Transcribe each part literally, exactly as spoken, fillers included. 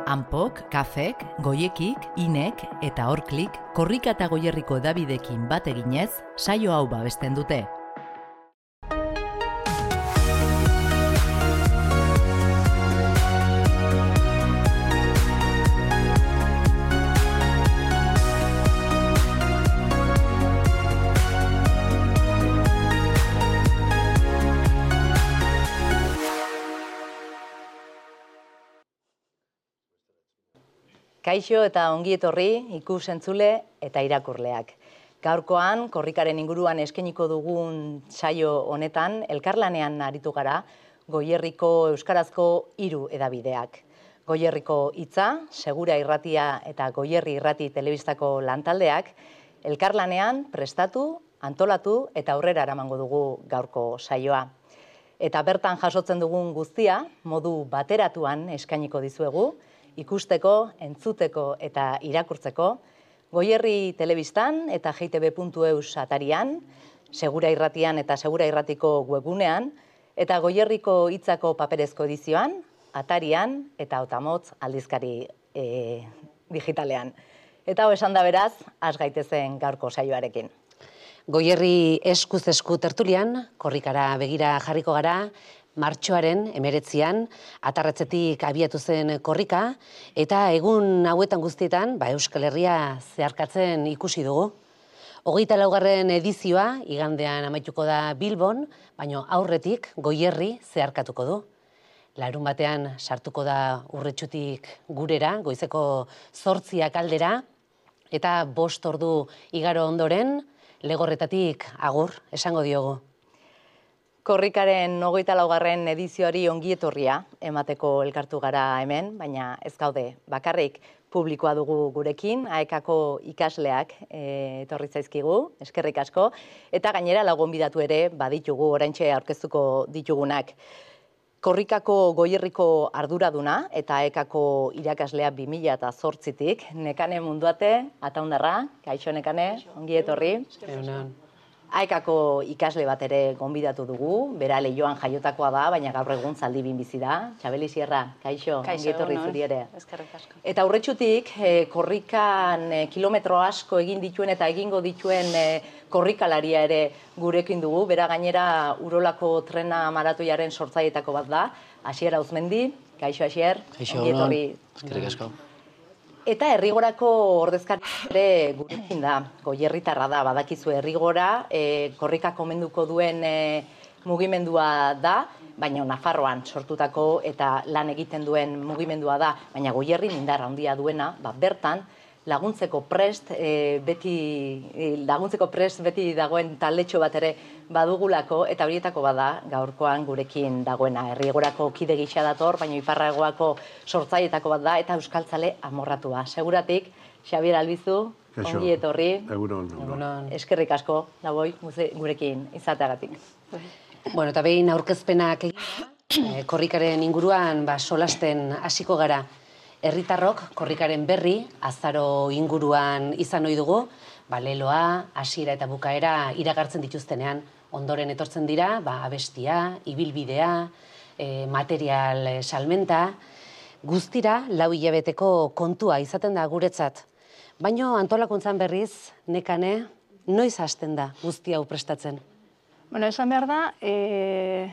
Anpok, Kafek, Goiekik, Inek eta Horklik korrika eta Goierriko hedabideekin bat eginez, saio hau babesten dute. Kaixo eta ongi etorri ikus-entzule eta irakurleak. Gaurkoan, korrikaren inguruan eskainiko dugun saio honetan, elkarlanean aritu gara Goierriko euskarazko hiru hedabideak. Goierriko Hitza, Segura Irratia eta Goierri Irrati telebistako lantaldeak, elkarlanean prestatu, antolatu eta aurrera eramango dugu gaurko saioa. Eta bertan jasotzen dugun guztia, modu bateratuan eskainiko dizuegu, ikusteko, entzuteko eta irakurtzeko, Goierri telebistan eta G T B puntu eus atarian, Segura Irratian eta Segura Irratiko webgunean, eta Goierriko Hitzako paperezko edizioan, atarian eta Otamotz aldizkari e, digitalean. Eta hau esan da beraz, has gaitezen gaurko saioarekin. Goierri eskuz esku tertulian, korrikara begira jarriko gara, martxoaren emeretzian, atarratzetik abiatu zen korrika, eta egun hauetan guztietan, ba, Euskal Herria zeharkatzen ikusi dugu. Hogeita laugarren edizioa, igandean amaituko da Bilbon, baina aurretik Goierri zeharkatuko du. Larun batean sartuko da Urretxutik gurera, goizeko zortziak aldera, eta bost ordu igaro ondoren, Legorretatik agur esango diogu. Korrikaren hogeita laugarren edizioari ongi etorria emateko elkartu gara hemen, baina ez gaude bakarrik publikoa dugu gurekin, A E K-ko ikasleak e, etorri zaizkigu, eskerrik asko, eta gainera lau gonbidatu ere baditugu oraintxe aurkeztuko ditugunak. Korrikako Goierriko arduraduna eta A E K-ko irakaslea bi mila zortzitik, Nekane Munduate, Ataundarra, kaixo Nekane, ongi etorri. A E K-ko ikasle bat ere gonbidatu dugu, bera Leioan jaiotakoa da, baina gaur egun Zaldibin bizi da. Txabeli Sierra, kaixo, ongi etorri zuri ere. Eta Urretxutik, korrikan kilometro asko egin dituen eta egingo dituen korrikalaria ere gurekin dugu, bera gainera Urolako trena maratoiaren sortzailetako bat da, Asier Auzmendi, kaixo Asier, ongi etorri. Eskerrik asko. Eta Herrigorako ordezkari ere gurekin da, Goierritarra da, badakizu Herrigora, e, korrika komenduko duen e, mugimendua da, baina Nafarroan sortutako eta lan egiten duen mugimendua da, baina Goierri indarra handia duena, ba, bertan laguntzeko prest e, beti laguntzeko prest beti dagoen taldetxo bat ere badugulako, eta horietako bada gaurkoan gurekin dagoena. Herrigorako kide gisa dator, baina Iparragoako sortzailetako bat da, eta euskaltzale amorratua. Seguratik, Xabier Albizu, ongi etorri. Egunon. Eskerrik asko, daboi, gurekin izateagatik. Bueno, eta behin aurkezpenak egin, korrikaren inguruan ba, solasten hasiko gara. Herritarrok korrikaren berri, azaro inguruan izan ohi dugu, ba, leloa, hasiera eta bukaera iragartzen dituztenean, ondoren etortzen dira, ba, abestia, ibilbidea, e, material e, salmenta, guztira lau hilabeteko kontua izaten da guretzat. Baina antolakuntzan berriz, Nekane, noiz hasten da guzti hau prestatzen? Bueno, esan behar da, e,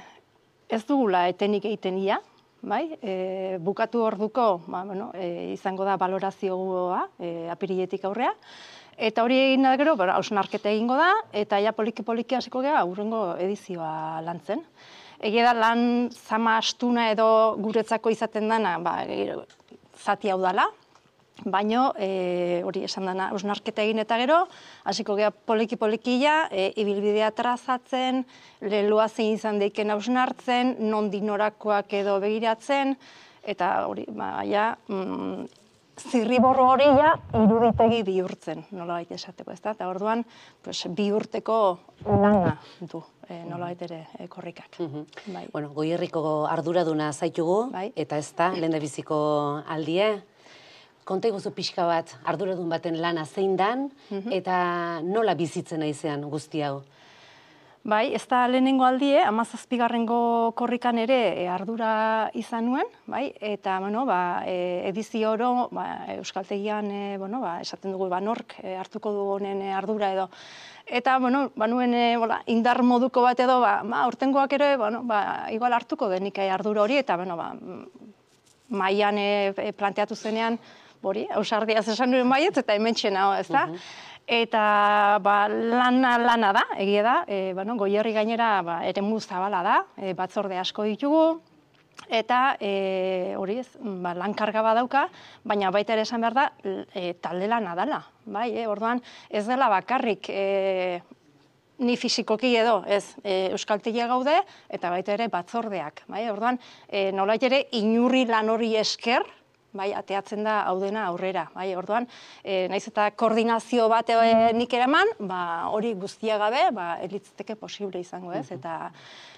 ez dugula etenik egiten ia, bai? E, bukatu orduko, ba, bueno, e, izango da balorazioa e, apiriletik aurrea, eta hori egin da gero, hausnarketa egingo da, eta ja poliki-poliki hasiko gara hurrengo edizioa lantzen. Egia da lan zama astuna edo guretzako izaten dana, ba, zati hau dala, baino e, hori esan dana hausnarketa egin eta gero, hasiko gara poliki-polikia, e, ibilbidea trazatzen, leloa zein izan deiken hausnartzen, non dinorakoak edo begiratzen, eta hori, ba, ja, mm, zirriborro hori ja iruditegi bihurtzen, nolabait esateko, ez da? Eta orduan, pues, bihurteko lana du, e, nolabait ere e, korrikak. Bai. Bueno, Goierriko arduraduna zaitugu, bai. Eta ez da, lehendabiziko aldie. Konta iguzu pixka bat, arduradun baten lana zein dan, eta nola bizitzen aizean guzti hau? Bai, ez da lehenengo aldie, hamazazpigarrengo korrikan ere e, ardura izan nuen, bai, eta, bueno, ba, e, edizio oro, ba, euskaltegian, e, bueno, ba, esaten dugu, ba, nork e, hartuko du honen e, ardura edo. Eta, bueno, ba, nuen e, bola, indar moduko bat edo, ba, ba, aurtengoak ere, bueno, ba, igual hartuko denik e, ardura hori, eta, bueno, ba, mailan e, planteatu zenean, hori, ausardiaz esan nuen maietz, eta hemen txena, ez da? Eta ba, lana, lana da, egia da, e, bueno, Goierri gainera ba, eremu zabala da, e, batzorde asko ditugu, eta e, hori ez, ba, lankarga badauka, baina baita ere esan behar da, e, talde lana dela, bai, e, orduan ez dela bakarrik e, ni fisikoki edo, ez, e, euskaltegia gaude, eta baita ere batzordeak, bai, orduan e, nolait ere inurri lan hori esker, bai, ateatzen da hau dena aurrera, bai, orduan, e, naiz eta koordinazio bat e, nik eraman, ba, hori guztia gabe, ba, elitzteke posible izango, ez, eta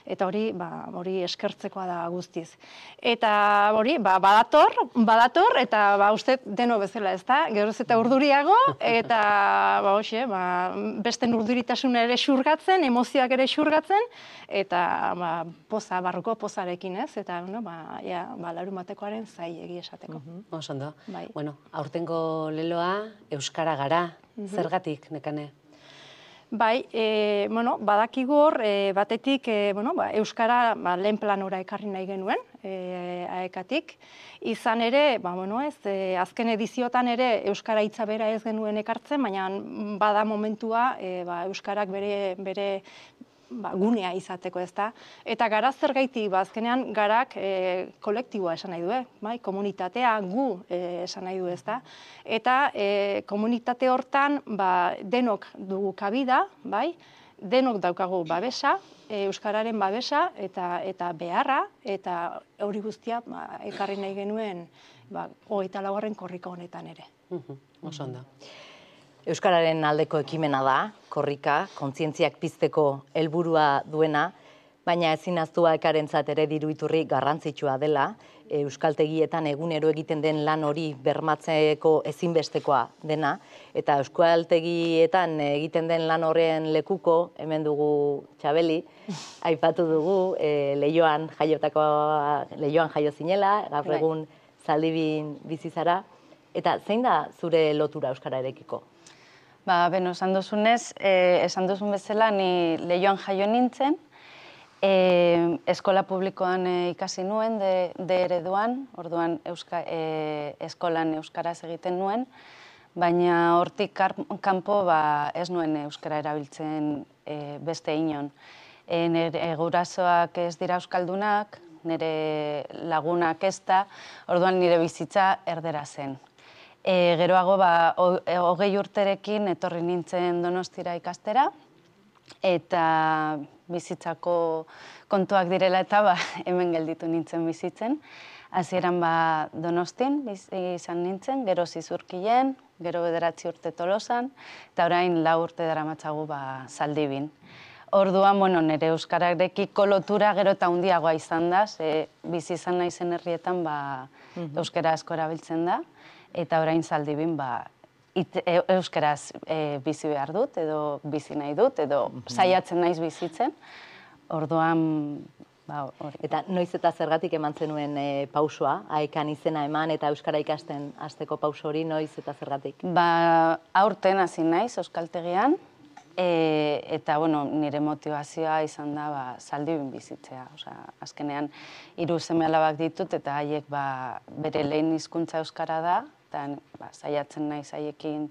eta hori, ba, hori eskertzekoa da guztiz. Eta hori, ba, badator, badator, eta ba, uste deno bezala, ez da, geroz eta urduriago, eta ba, hoxe, ba, beste urduritasuna ere xurgatzen, emozioak ere xurgatzen, eta ba, poza, barruko pozarekin, ez, eta, no, ba, ja, ba, larumatekoaren zai egi esateko. Oso ondo. Bai. Bueno, aurtengo leloa euskara gara, zergatik, Nekane? Bai, e, bueno, badakigu hor, e, batetik, e, bueno, ba, euskara ba, lehen planora ekarri nahi genuen, e, aekatik. Izan ere, ba, bueno, ez, e, azken ediziotan ere euskara hitza bera ez genuen ekartzen, baina bada momentua e, ba, euskarak bere, bere ba, gunea izateko, ez da. Eta gara zergaitik, ba, azkenean garak e, kolektiboa esan nahi du, eh? Bai, komunitatea gu e, esan nahi du, ez da. Eta e, komunitate hortan ba, denok dugu kabida, bai, denok daukagu babesa, e, euskararen babesa eta, eta beharra, eta hori guztia ba, ekarri nahi genuen ba, hogeita laugarren korrika honetan ere. Oso ondo. Euskararen aldeko ekimena da, korrika, kontzientziak pizteko helburua duena, baina ezin ahaztu aekarentzat ere diru iturri garrantzitsua dela, euskaltegietan egunero egiten den lan hori bermatzeko ezinbestekoa dena, eta euskaltegietan egiten den lan horren lekuko, hemen dugu Txabeli, aipatu dugu, e, Leioan jaiotako, Leioan jaio zinela, gaur egun Zaldibin bizi zara, eta zein da zure lotura euskararekiko? Ba, beno, esan duzunez, eh, esan duzun bezala, ni Leioan jaio nintzen, eh, eskola publikoan eh, ikasi nuen, de, de ereduan, orduan euska, eh, eskolan euskaraz egiten nuen, baina hortik kanpo ba, ez nuen euskara erabiltzen eh, beste inon. E, nire gurasoak ez dira euskaldunak, nire lagunak ez da, orduan nire bizitza erdera zen. E, geroago, ba, hogei urterekin etorri nintzen Donostira ikastera, eta bizitzako kontuak direla eta ba, hemen gelditu nintzen bizitzen. Hasieran ba, Donostin bizi izan nintzen, gero Zizurkilen, gero bederatzi urte Tolosan, eta orain lau urte daramatzagu ba, Zaldibin. Orduan, bueno, nire euskararekiko lotura gero eta handiagoa izan da, ze bizi izan naizen herrietan ba, euskara asko erabiltzen da, eta orain Zaldibin ba, it, e, euskaraz e, bizi behar dut, edo bizi nahi dut, edo saiatzen naiz bizitzen. Orduan, ba, hori. Eta noiz eta zergatik eman zenuen e, pausoa, aekan izena eman eta euskara ikasten hasteko pauso hori, noiz eta zergatik? Ba, aurten hasi naiz euskaltegian, e, eta bueno, nire motivazioa izan da ba, Zaldibin bizitzea. Osea, azkenean hiru seme-alabak ditut eta haiek ba, bere lehen hizkuntza euskara da, eta ba, saiatzen naiz haiekin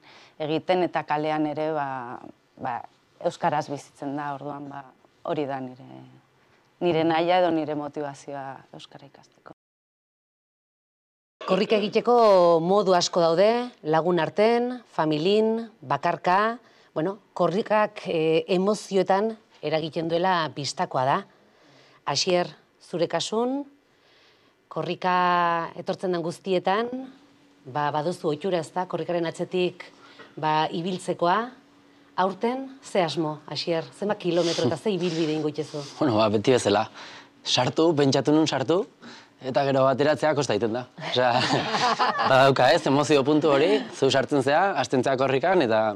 egiten eta kalean ere ba, ba, euskaraz bizitzen da, orduan ba, hori da nire, nire nahia edo nire motivazioa euskara ikasteko. Korrika egiteko modu asko daude, lagun arten, familin, bakarka, bueno, korrikak e, emozioetan eragiten duela bistakoa da. Asier, zure kasun, korrika etortzen den guztietan, ba, baduzu ohitura ez da, korrikaren atzetik ba, ibiltzekoa, aurten, ze asmo, Asier, zenbat kilometro eta ze ibilbide ingo itxezu? Bueno, ba, beti bezala, sartu, pentsatu nun sartu, eta gero bateratzea kosta egiten da. Osea, badauka ez, emozio puntu hori, zu sartzen zea, hasten zea korrikan, eta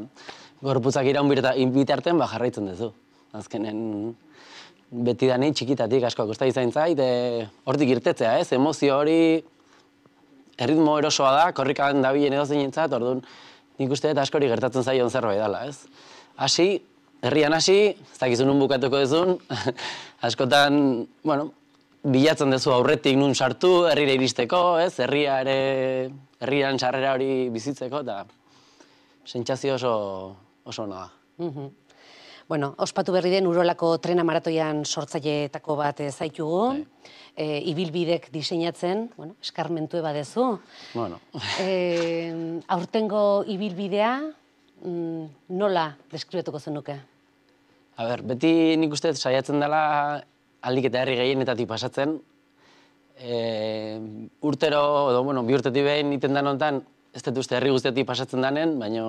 gorputzak iraun bitartean ba, jarraitzen duzu. azkenen betidani txikitatik asko kosta izan zait, hortik irtetzea, ez? Emozio hori erritmo erosoa da, korrikan dabilen edozeinentzat, orduan nik uste dut askori gertatzen zaion zerbait dela, ez? Hasi, herrian hasi, ez dakizu nun bukatuko duzun, askotan, bueno, bilatzen duzu aurretik nun sartu, herrira iristeko, ez? Herria ere, herrian sarrera hori bizitzeko, eta sentsazio oso, oso ona da. Bueno, ospatu berri den Urolako trena maratoian sortzaileetako bat zaitugu, ibilbidek diseinatzen, bueno, eskarmentu badezu. Bueno. Aurtengo ibilbidea nola deskribatuko zenuke? A ber, beti nik uste saiatzen dela aldik eta herri gehienetatik pasatzen. Urtero, edo, bueno, bi urtetik behin iten den honetan, ez dut uste herri guztiatik pasatzen danen, baina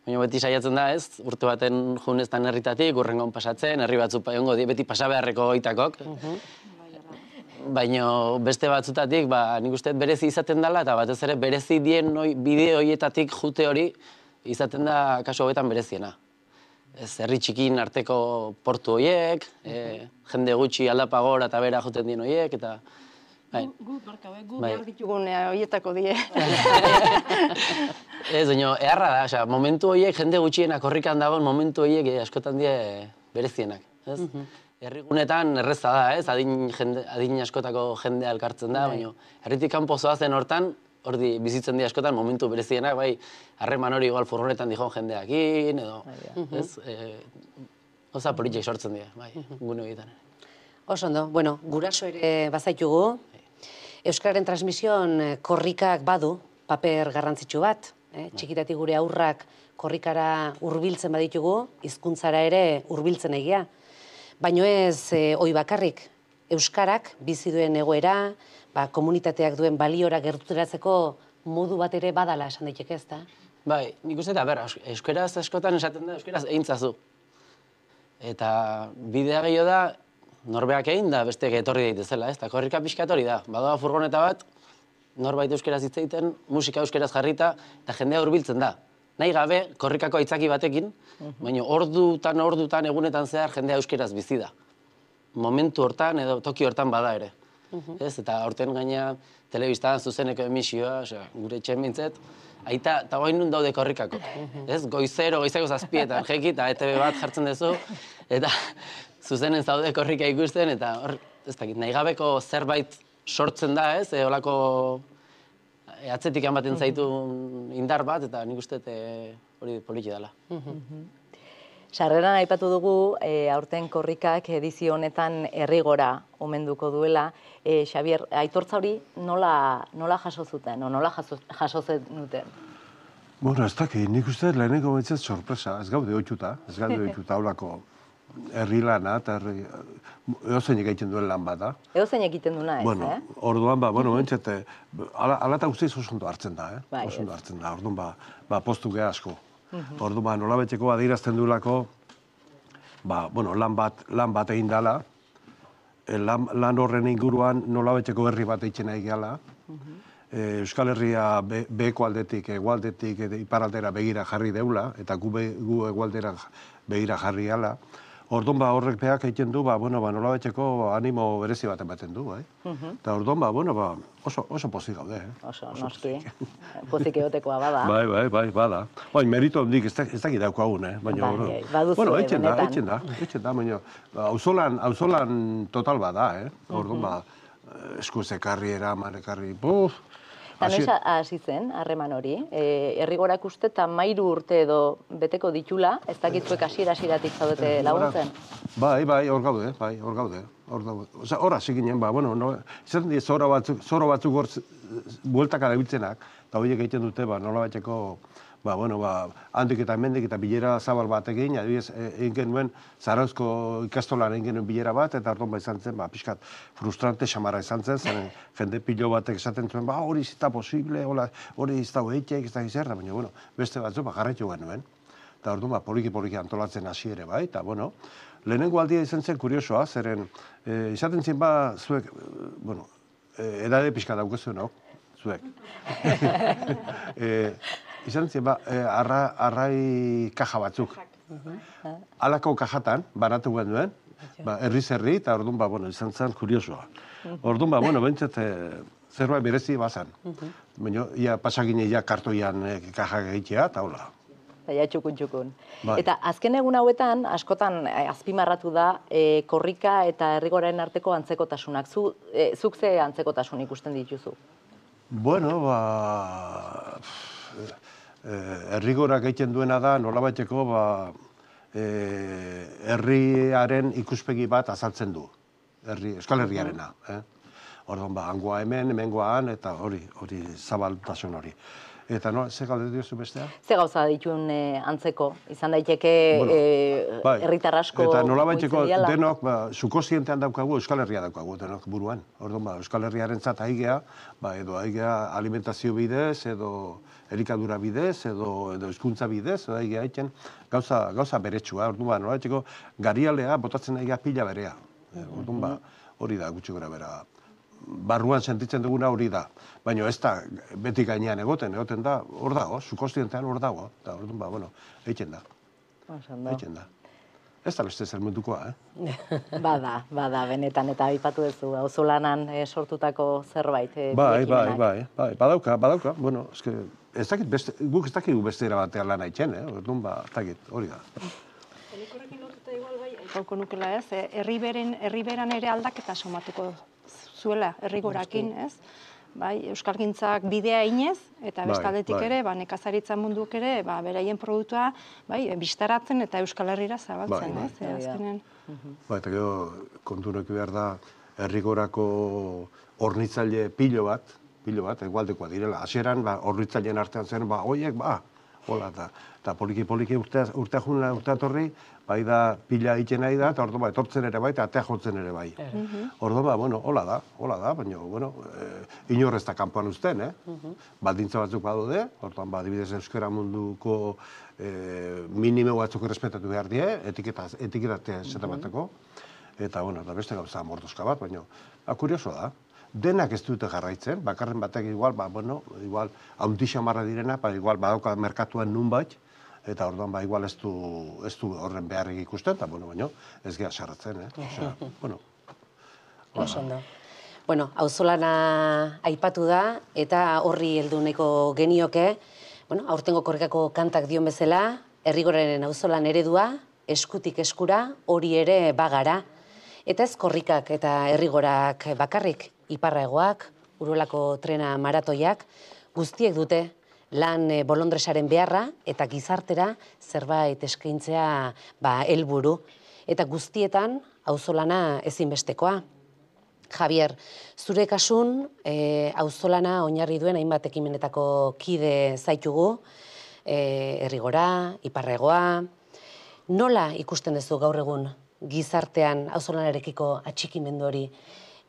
Baina beti saiatzen da ez, urte baten juneztan herritatik, urrengon pasatzen, herri batzuk egongo beti pasabeharreko goitakok. Baina beste batzutatik, nik uste berezi izaten dela, eta batez ere berezi dien bide horietatik jute hori izaten da kasu hauetan bereziena. Ez herri txikin arteko portu horiek, jende gutxi aldapa gora eta bera juten dien horiek, eta... Gu, barkau, gu behar ditugun horietako die. Ez, baina, eharra da, momentu horiek, jende gutxienak korrikan dagoen momentu horiek askotan die berezienak. Herrigunetan erreza da, ez, adin askotako jendea elkartzen da, baina herritik kanpo zoazen hortan, hori bizitzen di askotan momentu berezienak, bai, harreman hori igual furgonetan dijon jendeakin, edo, ez, oza politik sortzen die, bai, gune horietan. Oso ondo, bueno, guraso ere bazaitugu, Euskararen transmisioan korrikak badu paper garrantzitsu bat, txikitatik gure aurrak korrikara hurbiltzen baditugu, hizkuntzara ere hurbiltzen egia. Baino ez hoi bakarrik, Euskarak bizi duen egoera, komunitateak duen baliora gerturatzeko modu bat ere badala esan daiteke ez da? Bai, nik uste eta ber, euskaraz askotan esaten da, euskaraz eintzazu. Eta bidea gehiago da, norbeak egin da besteak etorri daitezela, ez? Eta korrika pixkat hori da. Badoa furgoneta bat, norbait euskeraz hitz egiten, musika euskeraz jarrita, eta jendea hurbiltzen da. Nahi gabe, korrikako aitzaki batekin, baina ordutan, ordutan, egunetan zehar jendea euskeraz bizi da. Momentu hortan edo toki hortan bada ere. Ez? Eta horten gaina telebistan zuzeneko emisioa, gure etxen bintzet, aita, eta guain nun daude korrikako. Ez? Goizero, goizeko zazpietan, jeki, eta E T B bat jartzen duzu, eta zuzenen zaude korrika ikusten, eta hor, ez dakit, nahi gabeko zerbait sortzen da, ez, holako atzetik ematen zaitu indar bat, eta nik uste hori poliki dela. Sarreran aipatu dugu, aurten korrikak edizio honetan herrigora omenduko duela. Xabier, aitortza hori nola jaso zuten, o nola jaso zenuten? Bueno, ez dakit, nik uste leheneko betzet sorpresa, ez gaude oitxuta, ez gaude oitxuta holako herri lana, eta eozeinek egiten duen lan bat da. Eozeinek egiten duena ez, eh? Orduan, ba, bueno, bentsat, ala eta guztiz oso ondo hartzen da, eh? Oso ondo hartzen da, orduan, ba, postu geha asko. Orduan, ba, nolabetxeko adirazten duelako, ba, bueno, lan bat egin dela, lan horren inguruan nolabetxeko herri bat egiten nahi gehala, Euskal Herria beheko aldetik, egualdetik, iparaldera begira jarri deula, eta gu egualdera begira jarri gala. Orduan ba horrek behak egiten du, ba, bueno, ba, nolabetxeko animo berezi bat ematen du, bai. Eta orduan ba, bueno, ba, oso pozik gaude, eh? Oso, noski. Pozik egotekoa bada. Bai, bai, bai, bada. Baina merito hondik ez dakit daukagun, eh? Baina, bueno, etxen da, etxen da, etxen da, baina, auzolan total bada, eh? Orduan ba, eskuz ekarri, eraman ekarri, buf. Eta noiz hasi zen, harreman hori, herrigorak uste eta mairu urte edo beteko ditula, ez dakitzuek hasiera-hasieratik zaudete laguntzen? Bai, bai, hor gaude, bai, hor gaude. Hor hasi ginen, ba, bueno, izan dira zoro batzuk hor bueltaka dabiltzenak, eta horiek egiten dute, ba, nola batxeko, ba, bueno, ba, handik eta hemendik eta bilera zabal bat egin, adibidez, egin genuen, Zarauzko ikastolan egin genuen bilera bat, eta orduan ba izan zen, ba, pixkat frustrante xamarra izan zen, zen jende pilo batek esaten zuen, ba, hori zita posible, hori izta hoeitek, ez da gizerda, baina, bueno, beste batzu, ba, jarraitu genuen. Eta orduan, ba, poliki-poliki antolatzen hasi ere, bai, eta, bueno, lehenengo aldia izan zen kuriosoa, zeren, izaten zen, ba, zuek, bueno, edade pixka daukezu, no? Zuek. Izan zen, ba, arrai kaja batzuk. Halako kajatan, baratu genuen, ba, herriz herri, eta orduan, ba, bueno, izan zen kuriosoa. Orduan, ba, bueno, bentsat, zerbait berezi bazan. Baina, ia pasagine, ia kartoian eh, kajak egitea, eta hola. Zaila txukun-txukun. Bai. Eta azken egun hauetan, askotan eh, azpimarratu da, eh, korrika eta herrigoraren arteko antzekotasunak. Zu, eh, zuk ze antzekotasun ikusten dituzu? Bueno, ba... Eh, herrigorak egiten duena da, nolabaiteko, ba... Eh, herriaren ikuspegi bat azaltzen du. Herri, Euskal Herriarena. Eh? Orduan, ba, hangoa hemen, hemengoan, eta hori, hori zabaltasun hori. Eta no, ze galde diozu bestea? Ze gauza dituen eh, antzeko? Izan daiteke Bueno, eh, bai. herritar asko Eta nolabaiteko mugitzen diala? denok, ba, subkontzientean daukagu Euskal Herria daukagu, denok buruan. Orduan, ba, Euskal Herriaren zat aigea, ba, edo aigea alimentazio bidez, edo elikadura bidez, edo, edo hizkuntza bidez, edo aigea egiten gauza, gauza beretsua. Orduan, ba, nolabaiteko garialea botatzen aigea pila berea. Orduan, ba, hori da gutxi gora bera. Barruan sentitzen duguna hori da. Baina ez da beti gainean egoten, egoten da, hor dago, subkontzientean hor dago. Eta orduan, ba, bueno, egiten da. Egiten da. Ez da beste zer mundukoa, eh? Bada, bada, benetan, eta aipatu duzu, auzolanan eh, sortutako zerbait. Eh, Bai, bai, ekimenak. bai, bai, badauka, badauka, bueno, eske, ez dakit beste, guk ez dakigu beste era batean lan haitzen, eh? Orduan, ba, ez dakit, hori da. Gauko nukela ez, eh, herriberen, herriberan ere aldaketa somatuko zuela, herrigorakin, ez? Bai, euskalgintzak bidea inez, eta Bai, bestaldetik bai. ere, ba, nekazaritza munduak ere, ba, beraien produktua, bai, bistaratzen eta Euskal Herrira zabaltzen, Bai, bai. ez? Eh, azkenen. Ba, eta gero, kontunek behar da, herrigorako hornitzaile pilo bat, pilo bat, egualdekoa direla. Hasieran, ba, hornitzaileen artean zen, ba, hoiek, ba, hola, eta, eta poliki-poliki urtea, urtea junela, urtea torri, bai da pila egiten nahi da, eta orduan, ba, etortzen ere bai, eta atea jotzen ere bai. Orduan, ba, bueno, hola da, hola da, baina, bueno, eh, inor ez da kanpoan uzten, eh? Baldintza batzuk badaude, orduan, ba, adibidez euskara munduko eh, minimo batzuk errespetatu behar die, etiketa, etiketatea zeta bateko, eta, bueno, da beste gauza mordoska bat, baina, ba, kurioso da. Denak ez dute jarraitzen, bakarren batek igual, ba, bueno, igual, hauntixa marra direna, ba, igual, badauka merkatuan nunbait, eta orduan, ba, igual ez du, ez du horren beharrik ikusten, eta, bueno, baina, ez geha sarratzen, eh? Osea, bueno. Oso ondo. Bueno, auzolana aipatu da, eta horri heldu nahiko genioke, bueno, aurtengo korrikako kantak dion bezala, herrigoraren auzolan eredua, eskutik eskura, hori ere bagara. Eta ez korrikak eta herrigorak bakarrik, iparraegoak, Uruelako trena maratoiak, guztiek dute lan bolondresaren beharra eta gizartera zerbait eskaintzea ba, helburu. Eta guztietan auzolana ezinbestekoa. Javier, zure kasun e, auzolana oinarri duen hainbat ekimenetako kide zaitugu, e, herrigora, iparraegoa. Nola ikusten duzu gaur egun gizartean auzolanarekiko atxikimendu hori?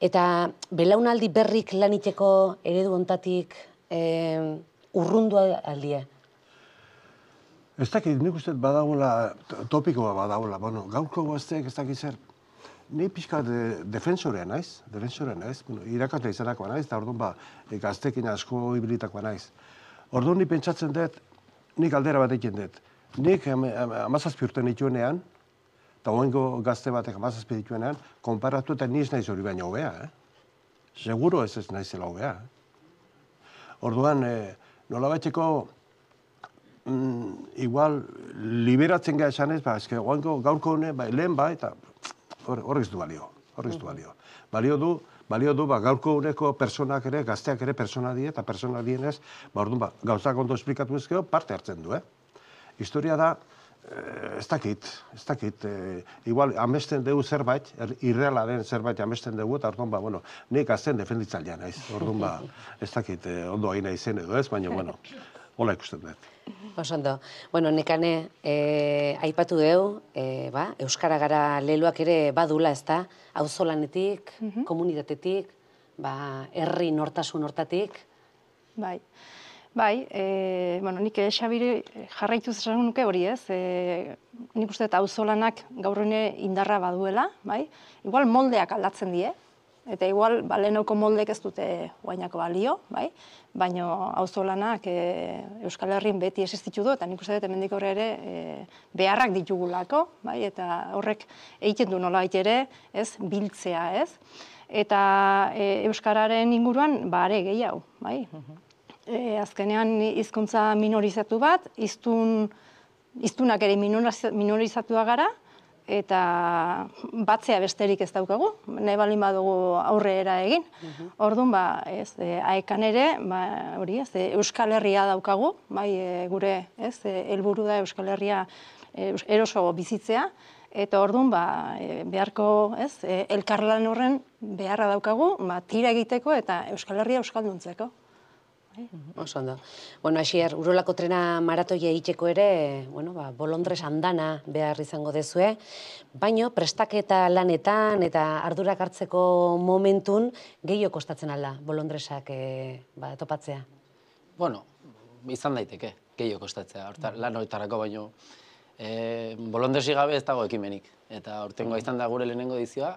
Eta belaunaldi berrik laniteko eredu hontatik e, urrundu aldie? Ez dakit, nik uste badagoela, topikoa badagoela, bueno, gaurko gazteek ez dakit zer, ni pixka de, defensorea naiz, defensorea naiz, bueno, irakasle izanakoa naiz, eta orduan ba, gaztekin asko hibritakoa naiz. Orduan ni pentsatzen dut, nik aldera bat egiten dut. Nik amazazpi urte nituenean, eta oengo gazte batek amazazpi dituenean, konparatu eta niz naiz hori baina hobea, eh? Seguro ez ez naizela hobea. Eh? Orduan, eh, nolabaiteko, mm, igual, liberatzen gara esanez, ba, eske oengo gaurko hone, ba, lehen ba, eta horrek ez du balio, horrek ez du balio. Balio du, balio du, ba, gaurko honeko personak ere, gazteak ere persona die, eta persona dienez, ba, orduan, ba, gauzak ondo esplikatu ezkeo, parte hartzen du, eh? Historia da, Eh, ez dakit, ez dakit, eh, igual amesten dugu zerbait, er, irreala den zerbait amesten dugu, eta orduan, ba, bueno, nik azten defenditzailean naiz, orduan, ba, ez dakit, eh, ondo hain izen edo ez, baina, bueno, hola ikusten dut. Oso ondo. Bueno, nekane, eh, aipatu deu, eh, ba, Euskara gara leloak ere badula, ez da, auzolanetik, komunitatetik, ba, herri nortasun hortatik. Bai. Bai, e, bueno, nik Xabiri jarraitu esan nuke hori ez, e, nik uste eta auzolanak gaur hone indarra baduela, bai? Igual moldeak aldatzen die, Eta igual, ba, lehenoko moldek ez dute guainako balio, bai? Baina auzolanak e, Euskal Herrin beti existitu du, eta nik uste dut hemendik aurrera ere e, beharrak ditugulako, bai? Eta horrek egiten du nolabait ere, ez, biltzea, ez? Eta e, Euskararen inguruan, ba, are gehiago, bai? E, azkenean hizkuntza minorizatu bat, hiztun, hiztunak ere minorizatua gara, eta batzea besterik ez daukagu, nahi baldin badugu aurrera egin. Orduan, ba, ez, e, aekan ere, ba, hori, ez, e, Euskal Herria daukagu, bai, e, gure, ez, e, helburu da Euskal Herria e, eroso bizitzea, eta orduan, ba, e, beharko, ez, e, elkarlan horren beharra daukagu, ba, tira egiteko eta Euskal Herria euskalduntzeko. Oso ondo. Bueno, Asier, Urolako trena maratoia egiteko ere, bueno, ba, bolondres andana behar izango dezue, baino prestaketa lanetan eta ardurak hartzeko momentun gehiago kostatzen alda bolondresak e, ba, topatzea? Bueno, izan daiteke, gehiago kostatzea, Horta, lan horretarako baino. E, bolondresi gabe ez dago ekimenik, eta aurtengoa izan da gure lehenengo edizioa,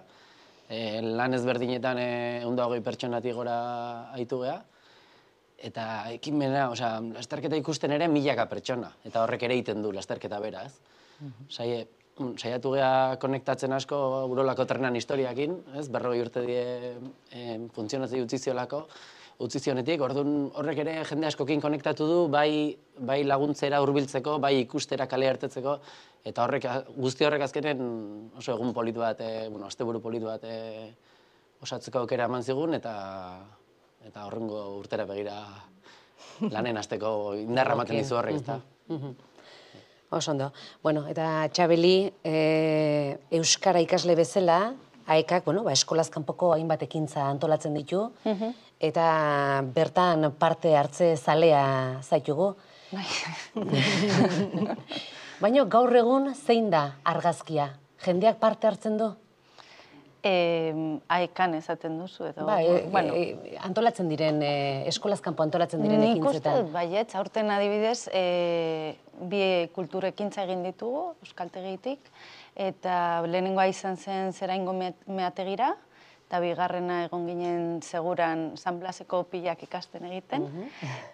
e, lan ezberdinetan ehun eta hogei pertsonatik gora aitu geha, eta ekimena, osea, lasterketa ikusten ere milaka pertsona, eta horrek ere egiten du lasterketa bera, ez? Saie, saiatu geha konektatzen asko Urolako trenan historiakin, ez? Berrogei urte die e, funtzionatzei utzi ziolako, utzi zionetik, orduan horrek ere jende askokin konektatu du, bai, bai laguntzera hurbiltzeko, bai ikustera kale hartetzeko, eta horrek, guzti horrek azkenen oso egun politu bat, e, bueno, asteburu politu bat e, osatzeko aukera eman zigun, eta eta horrengo urtera begira lanen hasteko indarra ematen dizu horrek, ezta? Oso ondo. Bueno, eta Txabeli, e, Euskara ikasle bezala, aekak, bueno, ba, eskolaz kanpoko hainbat ekintza antolatzen ditu, eta bertan parte hartze zalea zaitugu. Baina gaur egun zein da argazkia? Jendeak parte hartzen du? E, aekan esaten duzu edo... Ba, e, bueno, e, antolatzen diren, e, eskolaz kanpo antolatzen diren ekintzetan. Nik uste, baietz, aurten adibidez, e, bi kultur ekintza egin ditugu, euskaltegitik, eta lehenengoa izan zen Zeraingo meategira, eta bigarrena egon ginen seguran San Blaseko pilak ikasten egiten,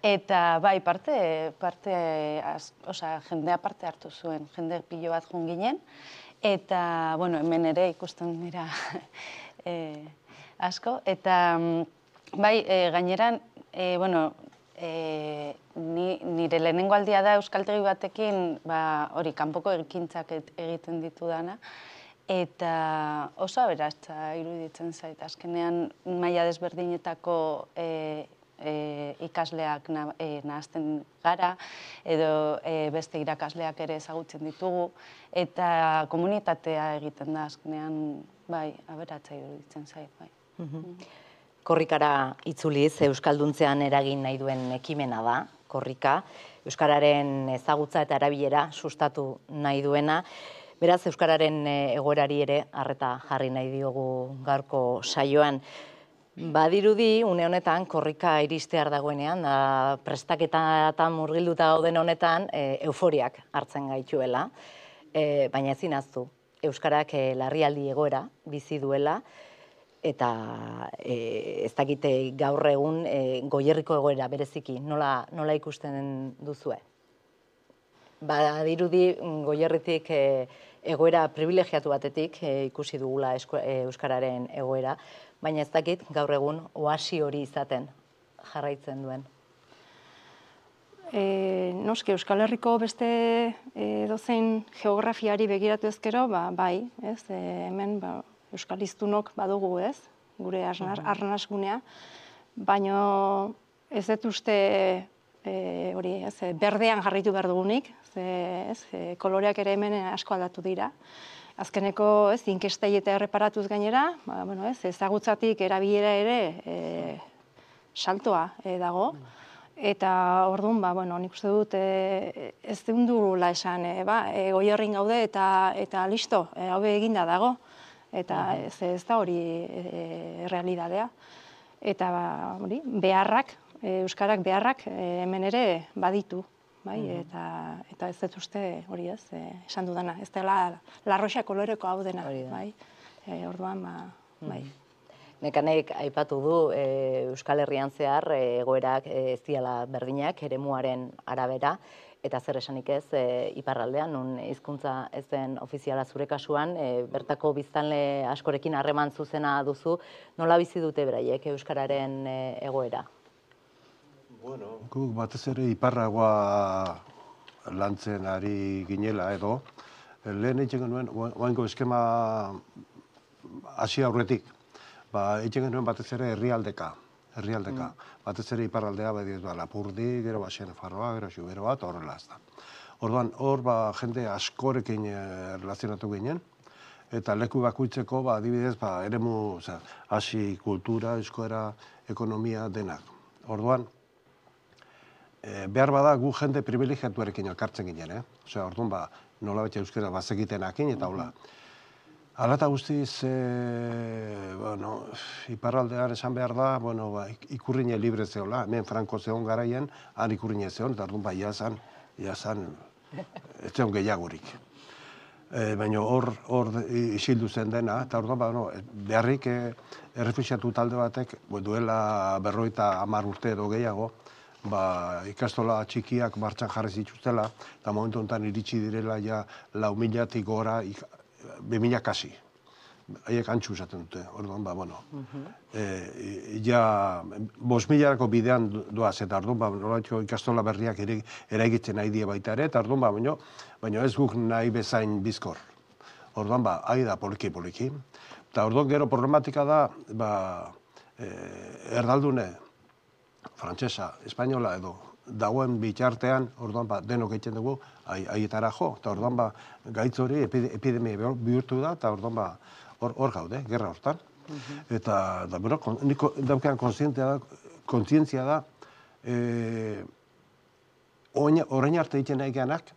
eta bai, parte, parte, az, oza, jendea parte hartu zuen, jende pilo bat joan ginen, eta, bueno, hemen ere ikusten dira e, asko, eta bai, e, gaineran, e, bueno, e, ni, nire lehenengo aldia da euskaltegi batekin, ba, hori, kanpoko ekintzak egiten ditu dana, eta oso aberatsa iruditzen zait, azkenean maila desberdinetako e, E, ikasleak na, e, nahazten gara, edo e, beste irakasleak ere ezagutzen ditugu, eta komunitatea egiten da azkenean, bai, aberatsa iruditzen zait, bai. Korrikara itzuliz, euskalduntzean eragin nahi duen ekimena da, korrika, euskararen ezagutza eta erabilera sustatu nahi duena, beraz euskararen egoerari ere arreta jarri nahi diogu gaurko saioan. Badirudi, une honetan, korrika iristear dagoenean, da, prestaketatan murgilduta gauden honetan, e, euforiak hartzen gaituela, e, baina ezin ahaztu, euskarak e, larrialdi egoera bizi duela, eta e, ez dakite gaur egun e, Goierriko egoera bereziki, nola, nola ikusten duzue? Badirudi, Goierritik e, egoera privilegiatu batetik e, ikusi dugula esko, e, euskararen egoera, baina ez dakit gaur egun oasi hori izaten jarraitzen duen. E, noski, Euskal Herriko beste e, dozein geografiari begiratu ezkero, ba, bai, ez, e, hemen ba, Euskal Hiztunok badugu, ez, gure arnasgunea, baina ez dut uste e, hori, ez, berdean jarritu behar dugunik, ze, ez, e, koloreak ere hemen asko aldatu dira. Azkeneko, ez, inkestei eta erreparatuz gainera, ba, bueno, ez, ezagutzatik erabilera ere e, saltoa e, dago. Eta orduan, ba, bueno, nik uste dut e, ez dundula esan, e, ba, e, Goierrin gaude eta, eta listo, e, hau eginda dago. Eta ez, ez da hori e, realidadea. Eta ba, hori, beharrak, e, euskarak beharrak e, hemen ere baditu. Bai, eta, eta ez dut uste hori ez, e, esan dudana, ez dela larroxa koloreko hau dena, bai, e, orduan, ba, bai. Nekanek aipatu du Euskal Herrian zehar egoerak ez diala berdinak eremuaren arabera, eta zer esanik ez iparraldean, nun hizkuntza ez den ofiziala zure kasuan, bertako biztanle askorekin harreman zuzena duzu, nola bizi dute beraiek euskararen egoera? Bueno, guk batez ere iparragoa lantzen ari ginela edo, lehen eitzen genuen, oaingo eskema hasi aurretik, ba, eitzen genuen batez ere herrialdeka, herrialdeka. Batez ere iparraldea, badiz, ba, Lapurdi, gero ba, Xenefarroa, gero Xubero bat, horrela ez da. Orduan, hor, ba, jende askorekin relazionatu ginen, eta leku bakuitzeko, ba, adibidez, ba, eremu, oza, hasi, kultura, euskara, ekonomia, denak. Orduan, e, behar bada gu jende privilegiatuarekin elkartzen ginen, eh? Osea, orduan, ba, nola betxe euskara bazekitenakin, eta hola. Hala eta guztiz, e, bueno, iparraldean esan behar da, bueno, ba, ikurrine libre zehola, hemen Franco zeon garaien, han ikurrine zeon, eta orduan, ba, iazan, iazan, ez zeon gehiagurik. E, baina hor, hor isildu zen dena, eta orduan, ba, no, beharrik e, errefuxiatu talde batek, bo, duela berroita hamar urte edo gehiago, ba, ikastola txikiak martxan jarri zituztela, eta momentu honetan iritsi direla ja lau milatik gora, be mila kasi. Haiek antxu esaten dute, orduan, ba, bueno. E, ja, bost milarako bidean doaz, eta orduan, ba, nolatxo ikastola berriak eraigitzen nahi die baita ere, eta orduan, ba, baino, baino ez guk nahi bezain bizkor. Orduan, ba, ahi da poliki-poliki. Eta orduan, gero problematika da, ba, e, erdaldune, frantsesa, espainola edo, dagoen bitartean, orduan, ba, denok egiten dugu, haietara jo, eta orduan, ba, gaitz hori epidemia bihurtu da, eta orduan, ba, hor gaude, gerra hortan. Eta, da, bueno, niko daukean kontzientzia da, orain arte egiten nahi geanak,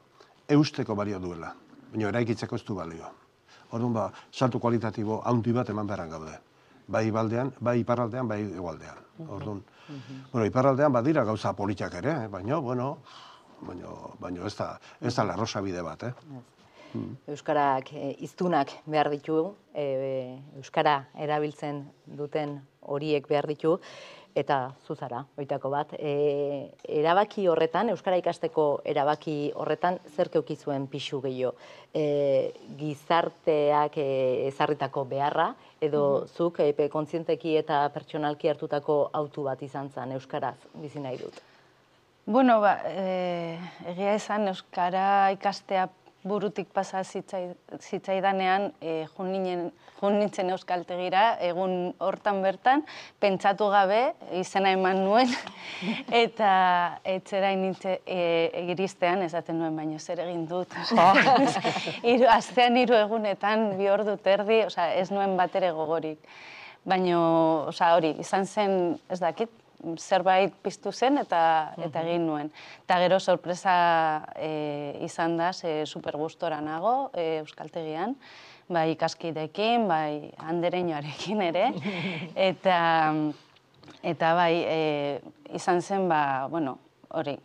eusteko balio duela, baina eraikitzeko ez du balio. Orduan, ba, saltu kualitatibo haundi bat eman beharran gaude. Bai baldean, bai iparraldean, bai egualdean. Orduan, bueno, iparraldean badira gauza politiak ere, baina, bueno, baina ez da, ez da larrosa bide bat, eh? Euskarak hiztunak behar ditu, euskara erabiltzen duten horiek behar ditu, eta zuzara, oitako bat. Erabaki horretan, euskara ikasteko erabaki horretan, zer keukizuen pixu gehiago? Gizarteak ezarritako beharra, edo zuk kontzienteki eta pertsonalki hartutako autu bat izan zen euskaraz bizi nahi dut? Bueno, ba, egia esan euskara ikastea burutik pasa zitzaidanean, jun nintzen euskaltegira, egun hortan bertan, pentsatu gabe, izena eman nuen, eta etzera egiristean, esaten nuen, baina zer egin dut. Astean hiru egunetan, bi ordu terdi, ez nuen batere gogorik. Baina, hori, izan zen, ez dakit, zerbait piztu zen eta egin nuen. Eta gero sorpresa izan da, super gustora nago euskaltegian, bai ikaskidekin, bai andereñoarekin ere, eta bai izan zen, bueno, hori,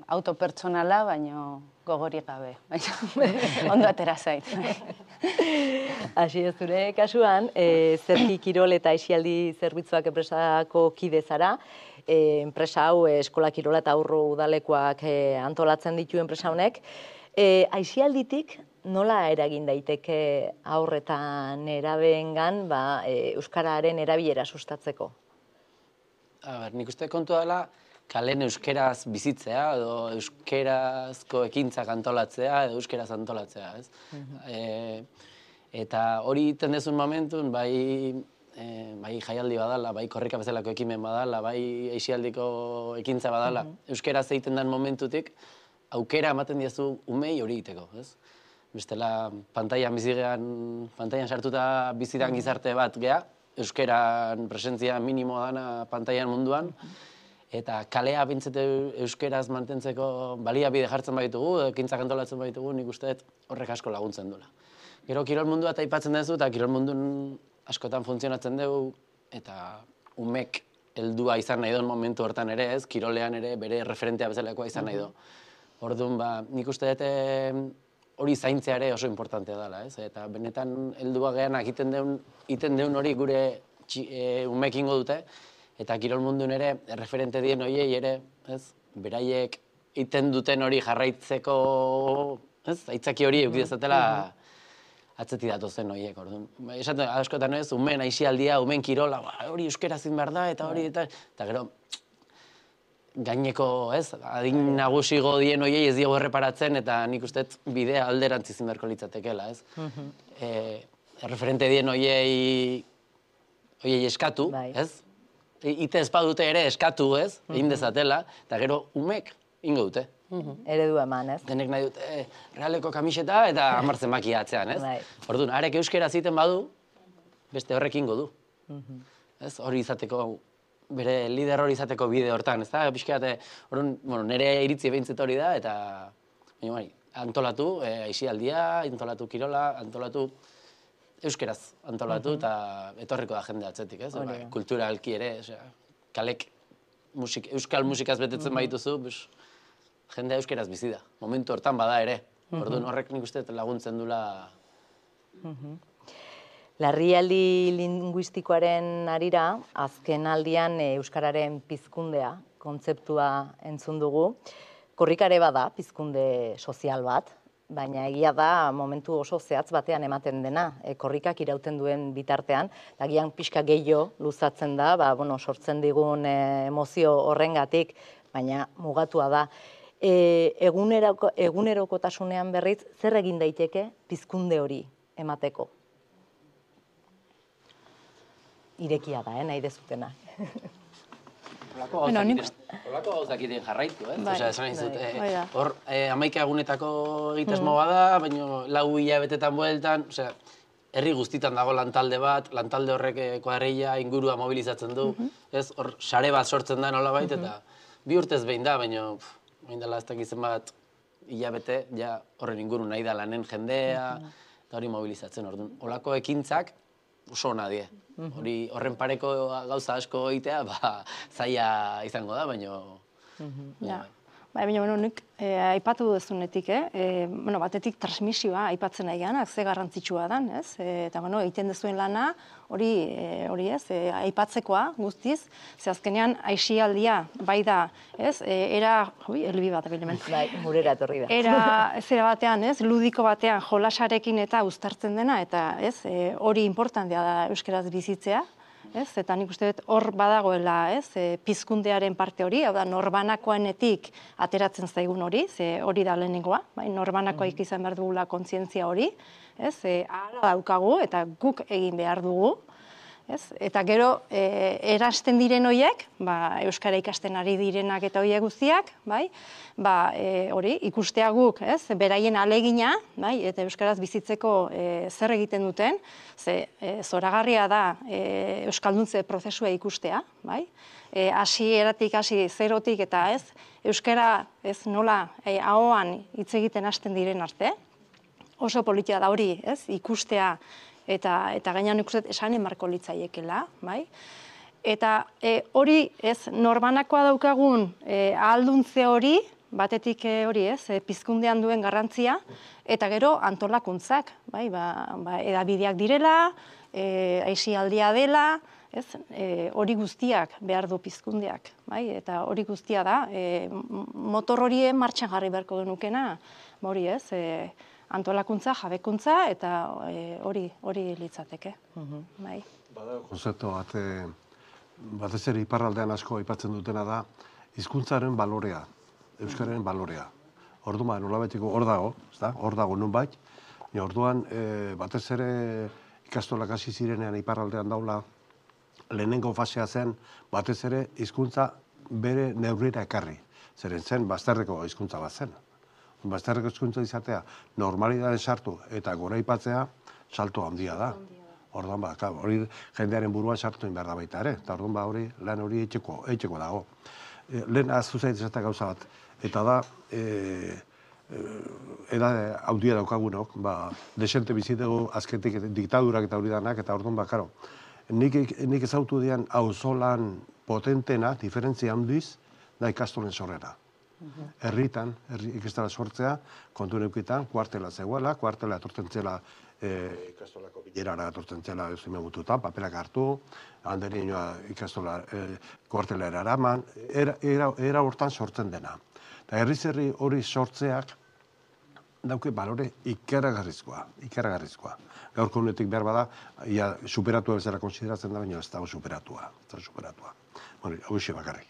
autopertsonala, baina gogorik gabe, ondo atera zait. Hasi ez zure kasuan, Zerki Kirol eta Aisialdi Zerbitzuak enpresako kide zara, enpresa hau eskola kirola eta aurro udalekoak antolatzen ditu enpresa honek. Aisialditik nola eragin daiteke haur eta nerabeengan euskararen erabilera sustatzeko? Nik uste kontu dela, kalen euskeraz bizitzea, edo euskerazko ekintzak antolatzea, edo euskeraz antolatzea, ez? Eta hori iten dezun momentun, bai jaialdi badala, bai korrika bezalako ekimen badala, bai aisialdiko ekintza badala, euskeraz egiten den momentutik, aukera ematen diezu umei hori egiteko, ez? Bestela, pantailan bizigean, pantailan sartuta bizidan gizarte bat geha, euskeran presentzia minimoa dana pantailan munduan, eta kalea bintzete euskeraz mantentzeko baliabide jartzen baitugu, ekintzak antolatzen baitugu, nik uste horrek asko laguntzen duela. Gero kirol mundua eta aipatzen duzu, eta kirol mundun askotan funtzionatzen dugu, eta umek heldua izan nahi duen momentu hortan ere ez, kirolean ere bere referentea bezalakoa izan nahi du. Orduan, nik uste dute hori zaintzea ere oso importantea dela, ez? Eta benetan heldua geanak iten deun hori gure umek ingo dute, eta kirol mundun ere, referente dien horiei ere, ez, beraiek iten duten hori jarraitzeko, ez, aitzaki hori eukidezatela atzeti datozen horiek, orduan. Esaten, askotan ez, umen aisialdia, umen kirola, hori euskera zin behar da, eta hori, eta, eta gero, gaineko, ez, adin nagusigo dien horiei ez diego erreparatzen, eta nik uste bidea alderantz izin beharko litzatekela, ez. Referente dien horiei, horiei eskatu, ez. Ite ezpadute ere eskatu, ez, egin dezatela, eta gero umek ingo dute. Eredu eman, ez? Denek nahi dute Realeko kamiseta eta hamartzen makia atzean, ez? Orduan, arek euskera ziten badu, beste horrek ingo du. Ez, hori izateko, bere lider hori izateko bide hortan, ez da? Pixkeate, orduan, nire iritzi behintzet hori da, eta baina bai, antolatu, aisialdia, antolatu kirola, antolatu euskeraz antolatu, eta etorriko da jende atzetik, ez? Kulturalki ere, kalek euskal musikaz betetzen baituzu, jendea euskeraz bizi da. Momentu hortan bada ere. Orduan horrek nik uste laguntzen dula. Larrialdi linguistikoaren arira, azken aldian euskararen pizkundea kontzeptua entzun dugu. Korrikare bada, pizkunde sozial bat, baina egia da momentu oso zehatz batean ematen dena, korrikak irauten duen bitartean, eta gian pixka gehiago luzatzen da, sortzen digun emozio horrengatik, baina mugatua da. Egunerokotasunean berriz, zer egin daiteke pizkunde hori emateko? Irekia da, nahi dezutena. Olako gauzak iten jarraitu, ez? Esan nahi zut, hor hamaika egunetako egitasmo bada, baina lau hilabetetan bueltan, herri guztitan dago lantalde bat, lantalde horrek kuadrilla ingurua mobilizatzen du, ez? Hor sare bat sortzen da nolabait, eta bi urtez behin da, baina hain dela ez dakizen bat hilabete, ja horren inguru nahi da lanen jendea, eta hori mobilizatzen, orduan. Olako ekintzak oso ona die. Horren pareko gauza asko egitea, zaila izango da, baina... Baina, nik aipatu duzunetik, batetik transmisioa aipatzen nahi ganak, ze garrantzitsua dan, ez? Eta, egiten duzuen lana, hori ez, aipatzekoa guztiz, ze azkenean aisialdia, bai da, ez? Era, ui, elbi bat, abilemen. Bai, murera etorri da. Era, zera batean, ez? Ludiko batean jolasarekin eta uztartzen dena, eta, ez? Hori importantea da euskeraz bizitzea. Eta nik uste dut hor badagoela pizkundearen parte hori, hau da norbanakoenetik ateratzen zaigun hori, ze hori da lehenengoa, norbanakoik izan behar dugula kontzientzia hori, ara daukagu eta guk egin behar dugu, eta gero erasten diren horiek, euskara ikasten ari direnak eta horiek guztiak, hori ikustea guk, beraien alegina, eta euskaraz bizitzeko zer egiten duten, ze zoragarria da euskalduntze prozesua ikustea, hasi eratik, hasi zerotik eta ez, euskara nola ahoan hitz egiten hasten diren arte, oso politia da hori ikustea, eta gainean ikusten esan emarko litzaiekela, bai? Eta hori, ez, norbanakoa daukagun ahalduntze hori, batetik hori, ez, pizkundean duen garrantzia, eta gero antolakuntzak, bai, edabideak direla, aisialdia dela, ez, hori guztiak behar du pizkundeak, bai? Eta hori guztia da, motor horien martxan jarri beharko genukena, hori, ez, antolakuntza, jabekuntza, eta hori hori litzateke. Bada konzeptu bat, batez ere iparraldean asko aipatzen dutena da, hizkuntzaren balorea, euskararen balorea. Orduan, nolabetiko hor dago, hor dago nunbait, orduan, batez ere ikastolak hasi zirenean iparraldean daula, lehenengo fasea zen, batez ere hizkuntza bere neurrira ekarri. Zeren zen, bazterreko hizkuntza bat zen. Bazterreko hizkuntza izatea, normalidade sartu eta goraipatzea, salto handia da. Orduan, hori jendearen buruan sartu behar da baita ere, eta orduan, hori lan hori eitxeko dago. Lehen aztu zait esatea gauza bat, eta da, edade handia daukagunok, desente bizitegu azketik diktadurak eta hori danak, eta orduan, karo, nik ezautu dian auzolan potentena, diferentzia handiz, da ikastolen sorrera. Herritan, ikastara sortzea, kontu neukitan, kuartela zegoela, kuartela etortzen zela ikastolako bilerara atortzen zela euzime mututan, papelak hartu, handerinoa ikastola kuartelera eraman, era hortan sortzen dena. Eta herriz herri hori sortzeak dauke balore ikaragarrizkoa, ikaragarrizkoa. Gaurko honetik behar bada, ia superatua bezala konsideratzen da, baina ez dago superatua, ez dago superatua. Bueno, hau ise bakarrik.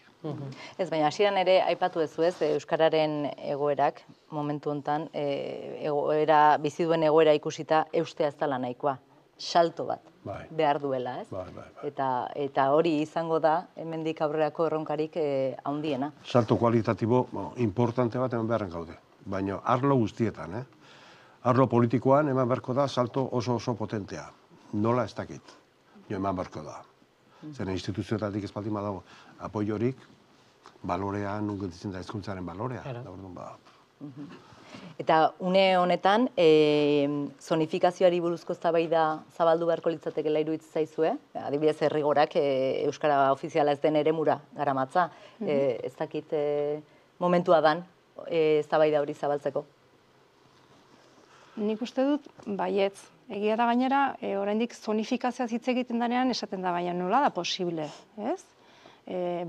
Ez, baina hasieran ere aipatu duzu ez, euskararen egoerak, momentu honetan, egoera, bizi duen egoera ikusita eustea ez dela nahikoa. Salto bat behar duela, ez? Eta hori izango da, hemendik aurrerako erronkarik handiena. Salto kualitatibo importante bat hemen beharren gaude, baina arlo guztietan, eh? Arlo politikoan eman beharko da salto oso oso potentea. Nola ez dakit, jo eman beharko da. Zer instituzioetatik ez baldin badago apoiorik, balorea, nunketzen da hezkuntzaren balorea. Eta une honetan, zonifikazioari buruzko eztabaida zabaldu beharko litzatekeela iruditzen zaizue? Adibidez, Errigorak euskara ofiziala ez den eremura garamatza. Ez dakit momentua dan eztabaida hori zabaltzeko? Nik uste dut, baietz. Egia da gainera, oraindik zonifikazioa hitz egiten denean esaten da, baina nola da posible, ez?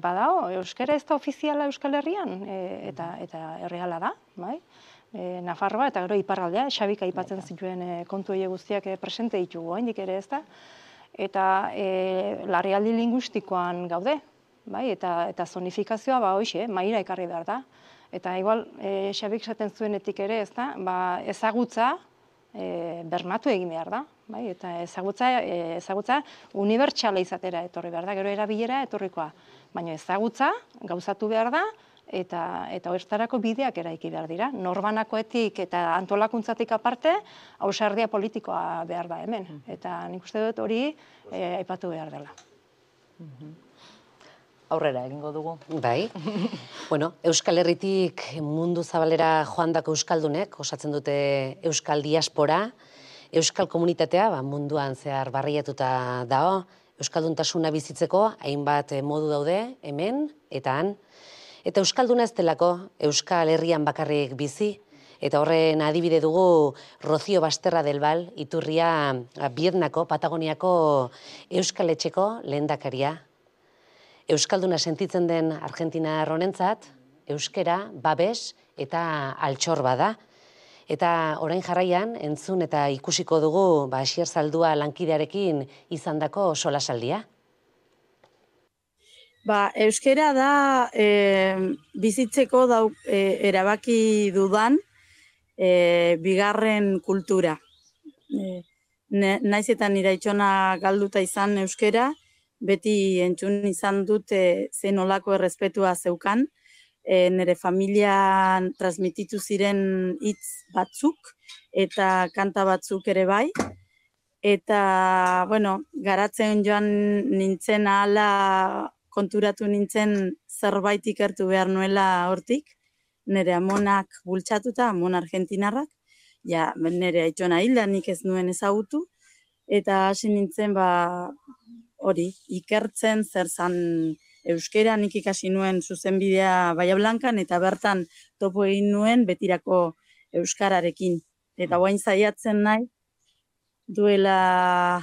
Badao, euskara ez da ofiziala Euskal Herrian, eta erreala da, bai? Nafarroa eta gero iparraldea, Xabik aipatzen zituen kontu horiek guztiak presente ditugu, oraindik ere ez da? Eta larrialdi linguistikoan gaude, bai? Eta zonifikazioa, ba, hoxe, mahaira ekarri behar da. Eta igual, Xabik esaten zuenetik ere, ez da? Ezagutza bermatu egin behar da, eta ezagutza unibertsala izatera etorri behar da, gero erabilera etorrikoa. Baina ezagutza gauzatu behar da, eta horretarako bideak eraiki behar dira. Norbanakoetik eta antolakuntzatik aparte, ausardia politikoa behar da hemen. Eta nik uste dut hori aipatu behar dela. Aurrera egingo dugu. Bai. Bueno, Euskal Herritik mundu zabalera joandako euskaldunek osatzen dute euskal diaspora, euskal komunitatea munduan zehar barriatuta dago, euskalduntasuna bizitzeko hainbat modu daude hemen eta han. Eta euskalduna ez delako Euskal Herrian bakarrik bizi, eta horren adibide dugu Rocio Basterra del Val, iturria Bietnako, Patagoniako Euskal Etxeko lehendakaria. Euskalduna sentitzen den Argentinar honentzat, euskera, babes eta altxor bada. Eta orain jarraian, entzun eta ikusiko dugu Asier Zaldua lankidearekin izandako solasaldia. Ba, euskera da bizitzeko erabaki dudan bigarren kultura. Naiz eta nire itxona galduta izan euskera, beti entzun izan dute zen olako errespetua zeukan, nire familian transmititu ziren hitz batzuk eta kanta batzuk ere bai. Eta, bueno, garatzen joan nintzen ahala konturatu nintzen zerbait ikertu behar nuela hortik, nire amonak bultzatuta, amon argentinarrak, ja, nire aitona hilda nik ez nuen ezagutu, eta hasi nintzen, ba, hori, ikertzen zer zan euskera, nik ikasi nuen zuzenbidea Bahia Blankan, eta bertan topo egin nuen betirako euskararekin. Eta guain zaiatzen nahi, duela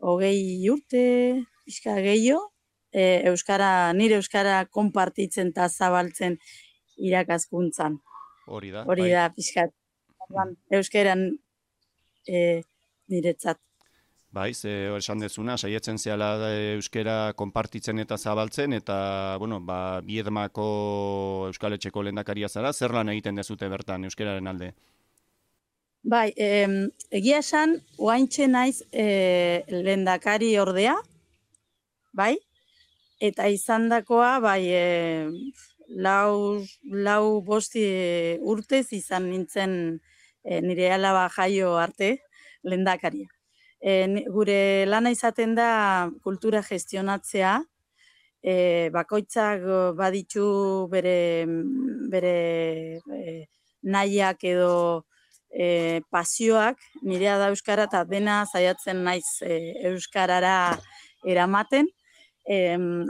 hogei urte, pixka gehiago, euskara, nire euskara konpartitzen eta zabaltzen irakaskuntzan. Hori da. Hori da, pixka, euskeran niretzat. Bai, ze esan dezuna, saietzen zehala euskera konpartitzen eta zabaltzen, eta, bueno, ba, Biedmako Euskal Etxeko lehendakaria zara, zer lan egiten dezute bertan euskeraren alde? Bai, egia esan, oaintxe naiz lehendakari ordea, bai, eta izandakoa, bai, lau bosti urtez izan nintzen nire alaba jaio arte lehendakaria. Gure lana izaten da kultura gestionatzea, bakoitzak baditu bere nahiak edo pasioak, nirea da euskara eta dena saiatzen naiz euskarara eramaten.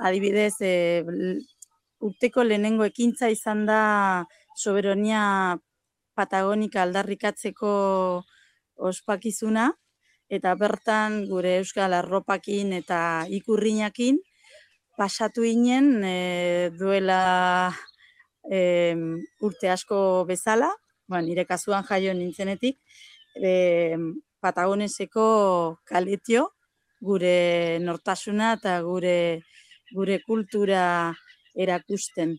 Adibidez, urteko lehenengo ekintza izan da soberonia patagonika aldarrikatzeko ospakizuna, eta bertan gure euskal arropakin eta ikurrinakin pasatu ginen e, duela e, urte asko bezala, ba, nire kasuan jaio nintzenetik, e, Patagoneseko kaletio, gure nortasuna eta gure, gure kultura erakusten.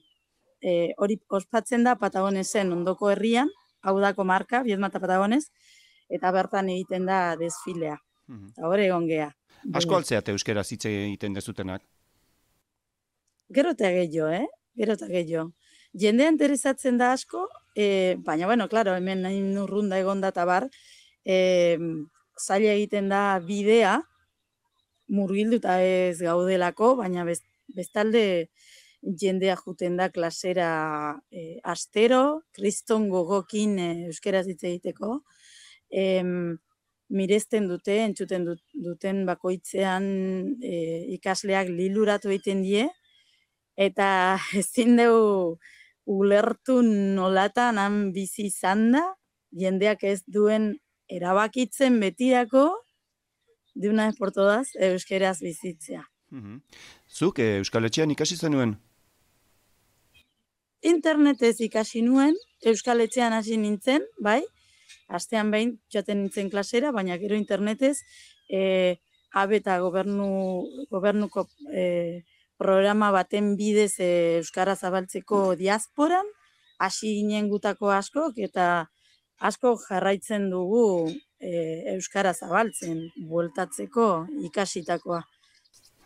E, hori ospatzen da Patagonesen ondoko herrian, hau dako marka, Biedma eta Patagones, eta bertan egiten da desfilea. Eta hor egon gea. Asko altzeate euskera hitz egiten dezutenak? Gero eta gehiago, eh? Gero eta gehiago. Jendea interesatzen da asko, e, baina, bueno, claro, hemen nahin urrunda egon da eta bar, e, zaila egiten da bidea, murgilduta ez gaudelako, baina best, bestalde jendea juten da klasera e, astero, kriston gogokin e, euskeraz hitz egiteko, e, miresten dute, entzuten duten bakoitzean e, ikasleak liluratu egiten die, eta ezin dugu ulertu nolatan han bizi izan da, jendeak ez duen erabakitzen betirako, de una vez por todas, euskeraz bizitzea. Zuk Euskal Etxean ikasi zenuen? Internetez ikasi nuen, Euskal Etxean hasi nintzen, bai, astean behin joaten nintzen klasera, baina gero internetez, e, habe eta gobernu, gobernuko e, programa baten bidez e, Euskara zabaltzeko diasporan, hasi ginen gutako askok, eta asko jarraitzen dugu e, Euskara zabaltzen, bueltatzeko ikasitakoa.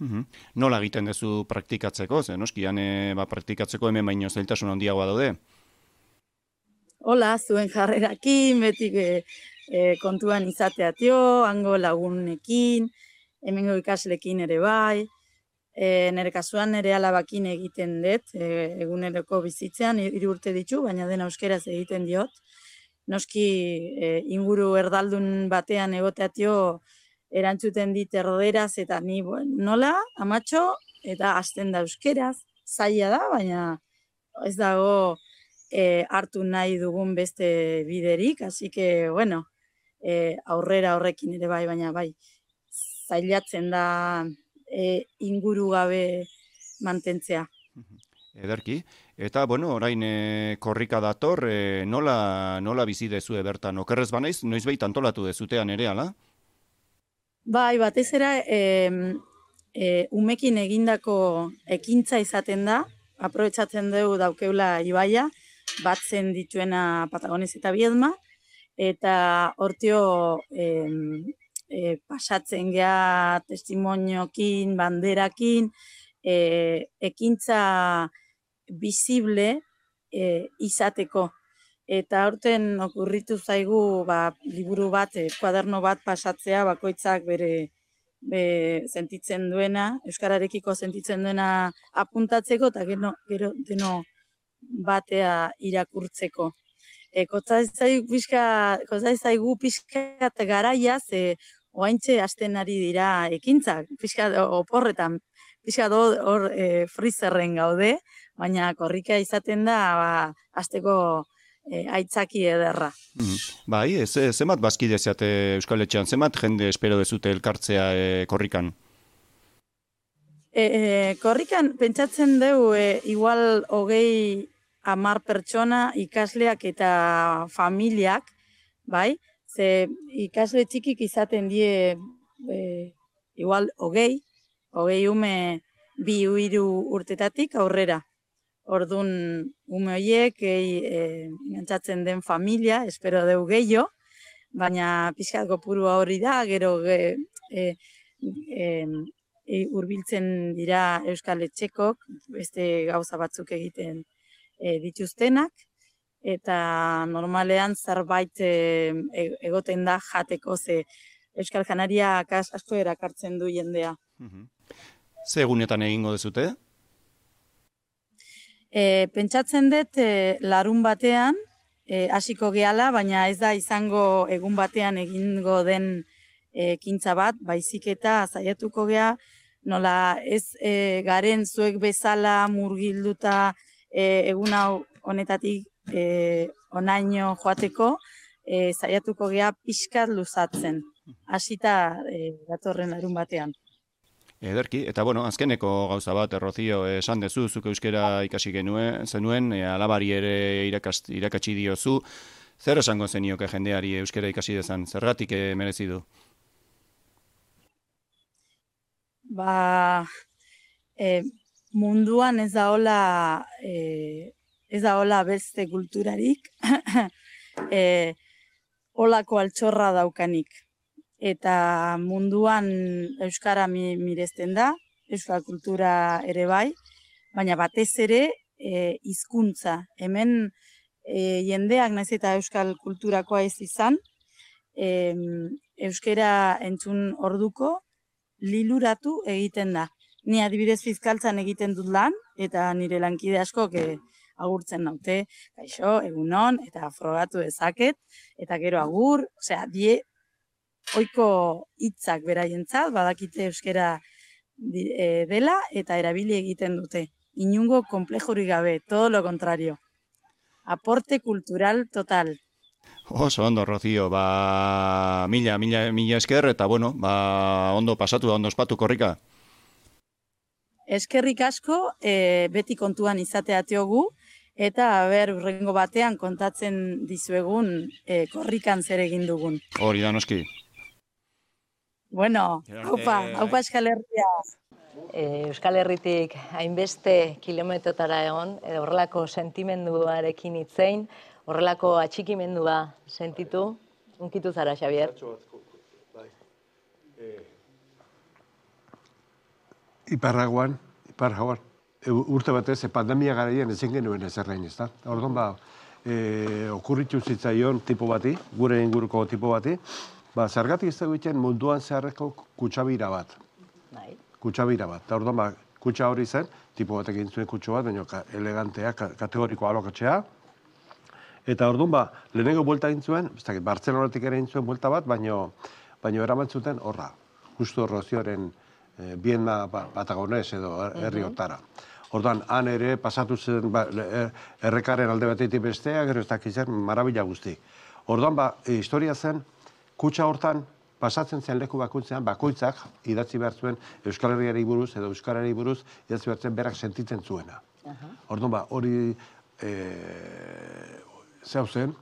Uhum. Nola egiten duzu praktikatzeko? Ze noskian e, ba, praktikatzeko hemen baino zailtasun handiagoa daude? Hola, zuen jarrerakin, beti e, e, kontuan izateatio, hango lagunekin, hemengo ikaslekin ere bai, e, nire kasuan nire alabakin egiten dut, e, eguneroko bizitzean, hiru urte ditu, baina dena euskeraz egiten diot. Noski e, inguru erdaldun batean egoteatio, erantzuten dit erderaz, eta ni nola, amatxo, eta hasten da euskeraz, zaila da, baina ez dago e, hartu nahi dugun beste biderik, hasi que, bueno, e, aurrera horrekin ere bai, baina bai, zailatzen da e, inguru gabe mantentzea. Ederki. Eta, bueno, orain e, korrika dator, e, nola, nola bizi dezue bertan? Okerrez banaiz, noizbait antolatu dezutean ere, ala? Bai, batez era, e, e, umekin egindako ekintza izaten da, aprobetxatzen dugu daukeula ibaia, batzen dituena Patagones eta Biedma, eta hortio e, e, pasatzen gea testimoniokin, banderakin, e, ekintza visible e, izateko. Eta horten okurritu zaigu ba, liburu bat, e, kuaderno bat pasatzea, bakoitzak bere be, sentitzen duena, euskararekiko sentitzen duena apuntatzeko, eta gero, gero deno batea irakurtzeko. E, Kotzaitzaigu pixka eta garaiaz, e, oaintxe hasten ari dira ekintzak, pixka oporretan, pixka hor e, frizerren gaude, baina korrika izaten da, ba, hasteko E, aitzaki ederra. Mm. Bai, ez, zemat bazkide zeate Euskal Etxean, zemat jende espero dezute elkartzea e, korrikan? E, e, korrikan pentsatzen dugu e, igual hogei hamar pertsona ikasleak eta familiak, bai? Ze ikasle txikik izaten die e, igual hogei, hogei ume bi hiru urtetatik aurrera. Orduan, ume horiek, e, gantzatzen den familia, espero deu gehiago, baina pixkat kopurua hori da, gero e, e, e, urbiltzen dira Euskal Etxekok, beste gauza batzuk egiten e, dituztenak, eta normalean zerbait e, egoten da jateko, ze Euskal Janaria asko erakartzen du jendea. Ze egunetan egingo dezute? E, pentsatzen dut e, larun batean e, hasiko gehala, baina ez da izango egun batean egingo den ekintza bat, baizik eta saiatuko gea, nola ez e, garen zuek bezala murgilduta e, egun hau honetatik e, onaino joateko, e, zaiatuko gea pixkat luzatzen, hasita e, datorren larun batean. Ederki, eta bueno, azkeneko gauza bat, Rocío, esan dezu, zuk euskera ikasi genuen, zenuen, e, alabari ere irakast, irakatsi diozu, zer esango zenioke jendeari euskera ikasi dezan, zergatik e, merezi du? Ba, e, munduan ez da hola, e, ez da hola beste kulturarik, e, holako altxorra daukanik. Eta munduan euskara mi, miresten da, euskal kultura ere bai, baina batez ere e, hizkuntza. Hemen e, jendeak naiz eta euskal kulturakoa ez izan, e, euskara entzun orduko liluratu egiten da. Ni adibidez fiskaltzan egiten dut lan, eta nire lankide askok e, agurtzen naute, kaixo, egunon, eta frogatu dezaket, eta gero agur, osea, die, oiko hitzak beraientzat, badakite euskara dela eta erabili egiten dute. Inungo komplejorik gabe, todo lo contrario. Aporte cultural total. Oso ondo, Rocío, ba, mila, mila, mila esker, eta bueno, ba, ondo pasatu da, ondo ospatu korrika. Eskerrik asko, e, beti kontuan izatea tiogu, eta ber, urrengo batean kontatzen dizuegun e, korrikan zer egin dugun. Hori da noski. Bueno, haupa, haupa Euskal Herria. Euskal Herritik hainbeste kilometrotara egon, edo horrelako sentimenduarekin hitzein, horrelako atxikimendua sentitu, unkitu zara, Xabier? Iparraguan, iparraguan, urte batez, pandemia garaian ezin genuen ezerrein, ez da? Orduan ba, okurritu zitzaion tipo bati, gure inguruko tipo bati, ba, zergatik ez dugu egiten munduan zeharreko kutsabira bat. Bai. Kutsabira bat. Eta orduan, ba, kutsa hori zen, tipo batek egin zuen kutsu bat, baina elegantea, kategoriko alokatzea. Eta orduan, ba, lehenengo buelta egin zuen, ez dakit, Bartzelonatik ere egin zuen buelta bat, baino, baino eraman zuten horra. Justo Rozioren eh, Bienna Patagonez edo herri hortara. Orduan, han ere pasatu zen ba, errekaren alde batetik bestea, gero ez dakit zen, marabila guzti. Orduan, ba, historia zen, kutsa hortan, pasatzen zen leku bakoitzean, bakoitzak idatzi behar zuen Euskal Herriari buruz edo Euskarari buruz idatzi behar zuen berak sentitzen zuena. Orduan, ba, hori e, zeu zen,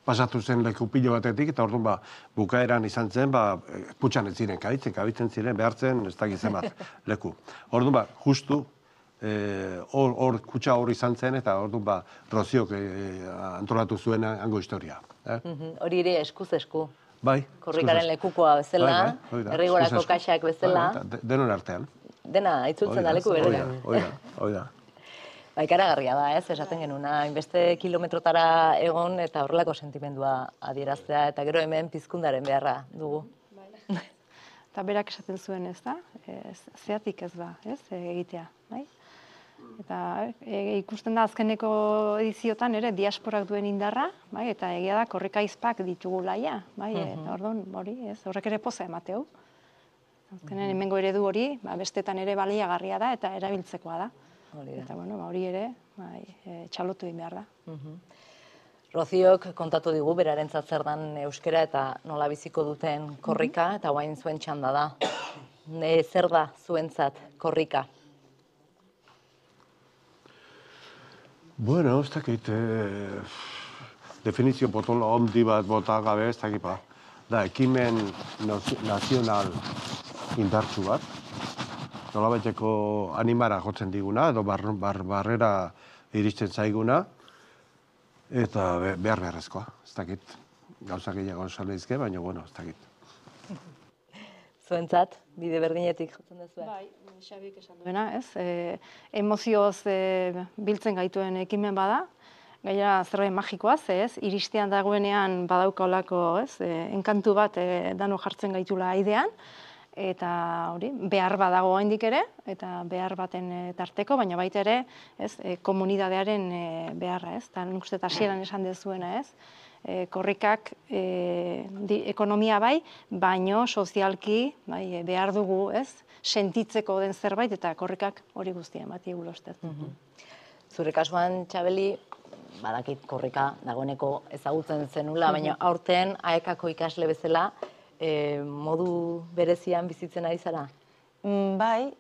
pasatu zen leku pilo batetik, eta orduan, ba, bukaeran izan zen, ba, kutsan ez ziren kabitzen, kabitzen ziren behartzen, ez dakit zenbat leku. Orduan, ba, justu, hor e, kutsa hori izan zen, eta orduan, ba, Roziok e, antolatu zuen hango historia. Eh? Hori ere eskuz esku. Bai. Korrikaren lekukoa bezala, herrigorako kaxak bezala. Denon artean. Dena, itzultzen da leku berean. Hoi da, hoi da. Ba, ikaragarria da, ez, esaten genuna, hainbeste kilometrotara egon eta horrelako sentimendua adieraztea, eta gero hemen pizkundaren beharra dugu. Eta berak esaten zuen, ez da? Zeatik ez da, ez, egitea, bai? Eta e, ikusten da azkeneko ediziotan ere diasporak duen indarra, bai, eta egia da korrika izpak ditugu laia, bai, eta orduan, hori, ez, horrek ere poza emateu. Azkenen hemengo eredu hori, ba, bestetan ere baliagarria da eta erabiltzekoa da. Hori da. Eta bueno, ba, hori ere, bai, e, txalotu egin behar da. Roziok kontatu digu berarentzat zer dan euskera eta nola biziko duten korrika, eta guain zuen txanda da. Ne, zer da zuentzat korrika? Bueno, ez dakit, eh, definizio potolo ondi bat bota gabe, ez dakit, ba. Da, ekimen nazional indartsu bat, nolabaiteko animara jotzen diguna, edo bar, bar, barrera iristen zaiguna, eta behar beharrezkoa, ez dakit. Gauza gehiago esan daizke, baina, bueno, ez dakit. Zuentzat, bide berdinetik jotzen duzuen? Bai, Xabik esan duena, ez? E, emozioz e, biltzen gaituen ekimen bada, gaia zerbait magikoaz, ez? Iristean dagoenean badauka olako, ez? E, enkantu bat e, dano jartzen gaitula aidean, eta hori, behar badago oraindik ere, eta behar baten e, tarteko, baina baita ere, ez? E, komunidadearen e, beharra, ez? Eta nik uste hasieran esan dezuena, ez? E, korrikak e, di, ekonomia bai, baino sozialki bai, behar dugu, ez? Sentitzeko den zerbait eta korrikak hori guztia emati egulostet. Zure kasuan, Txabeli, badakit korrika dagoeneko ezagutzen zenula, baina aurten aekako ikasle bezala modu berezian bizitzen ari zara? Bai,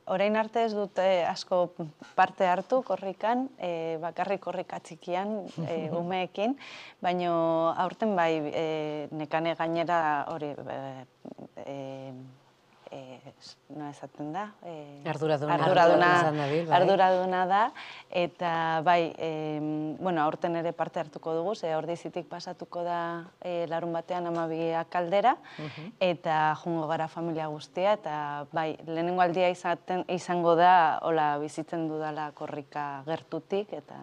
orain arte ez dut asko parte hartu korrikan, bakarrik korrika txikian umeekin, baina aurten bai nekane gainera hori no esaten da. Arduraduna da, eta bai, aurten ere parte hartuko dugu, ze Ordizitik pasatuko da larun batean hamabiak aldera, eta jungo gara familia guztia, eta bai, lehenengo aldia izango da, hola bizitzen dudala korrika gertutik, eta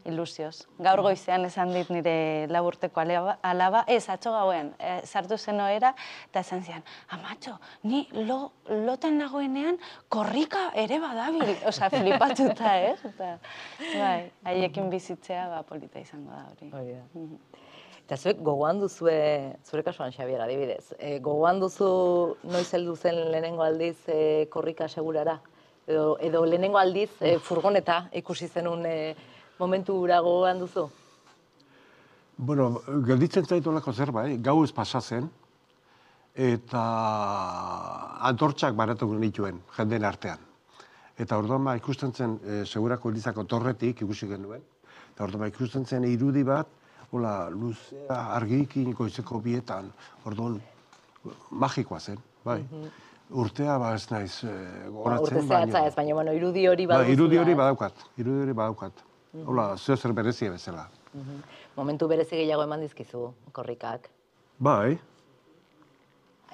ilusioz. Gaur goizean esan dit nire laburteko alaba, ez, atxo gauen, sartu zen oera, eta esan zian, amatxo, ni lotan nagoenean korrika ere badabil, oza, flipatuta, ez? Eta, bai, haiekin bizitzea, polita izango da hori. Eta zuek gogoan duzue, zure kasuan Xabier adibidez, gogoan duzu noiz heldu zen lehenengo aldiz korrika segurara? Edo lehenengo aldiz furgoneta ikusi zenun momentu ura gogoan duzu? Bueno, gelditzen zaitu olako zerbait, gau ez pasatzen, eta antortxak baratu nituen jendeen artean. Eta orduan ba ikusten zen, segurako elizako torretik ikusi genuen, eta orduan ba ikusten zen irudi bat, hola, luzea argikin goizeko bietan, orduan magikoa zen, bai. Urtea ba ez naiz gogoratzen, urte zehatza ez, baina irudi hori baduzula. Irudi hori badaukat, irudi hori badaukat. Hola, zeo zer berezia bezala. Momentu berezi gehiago eman dizkizu korrikak? Bai.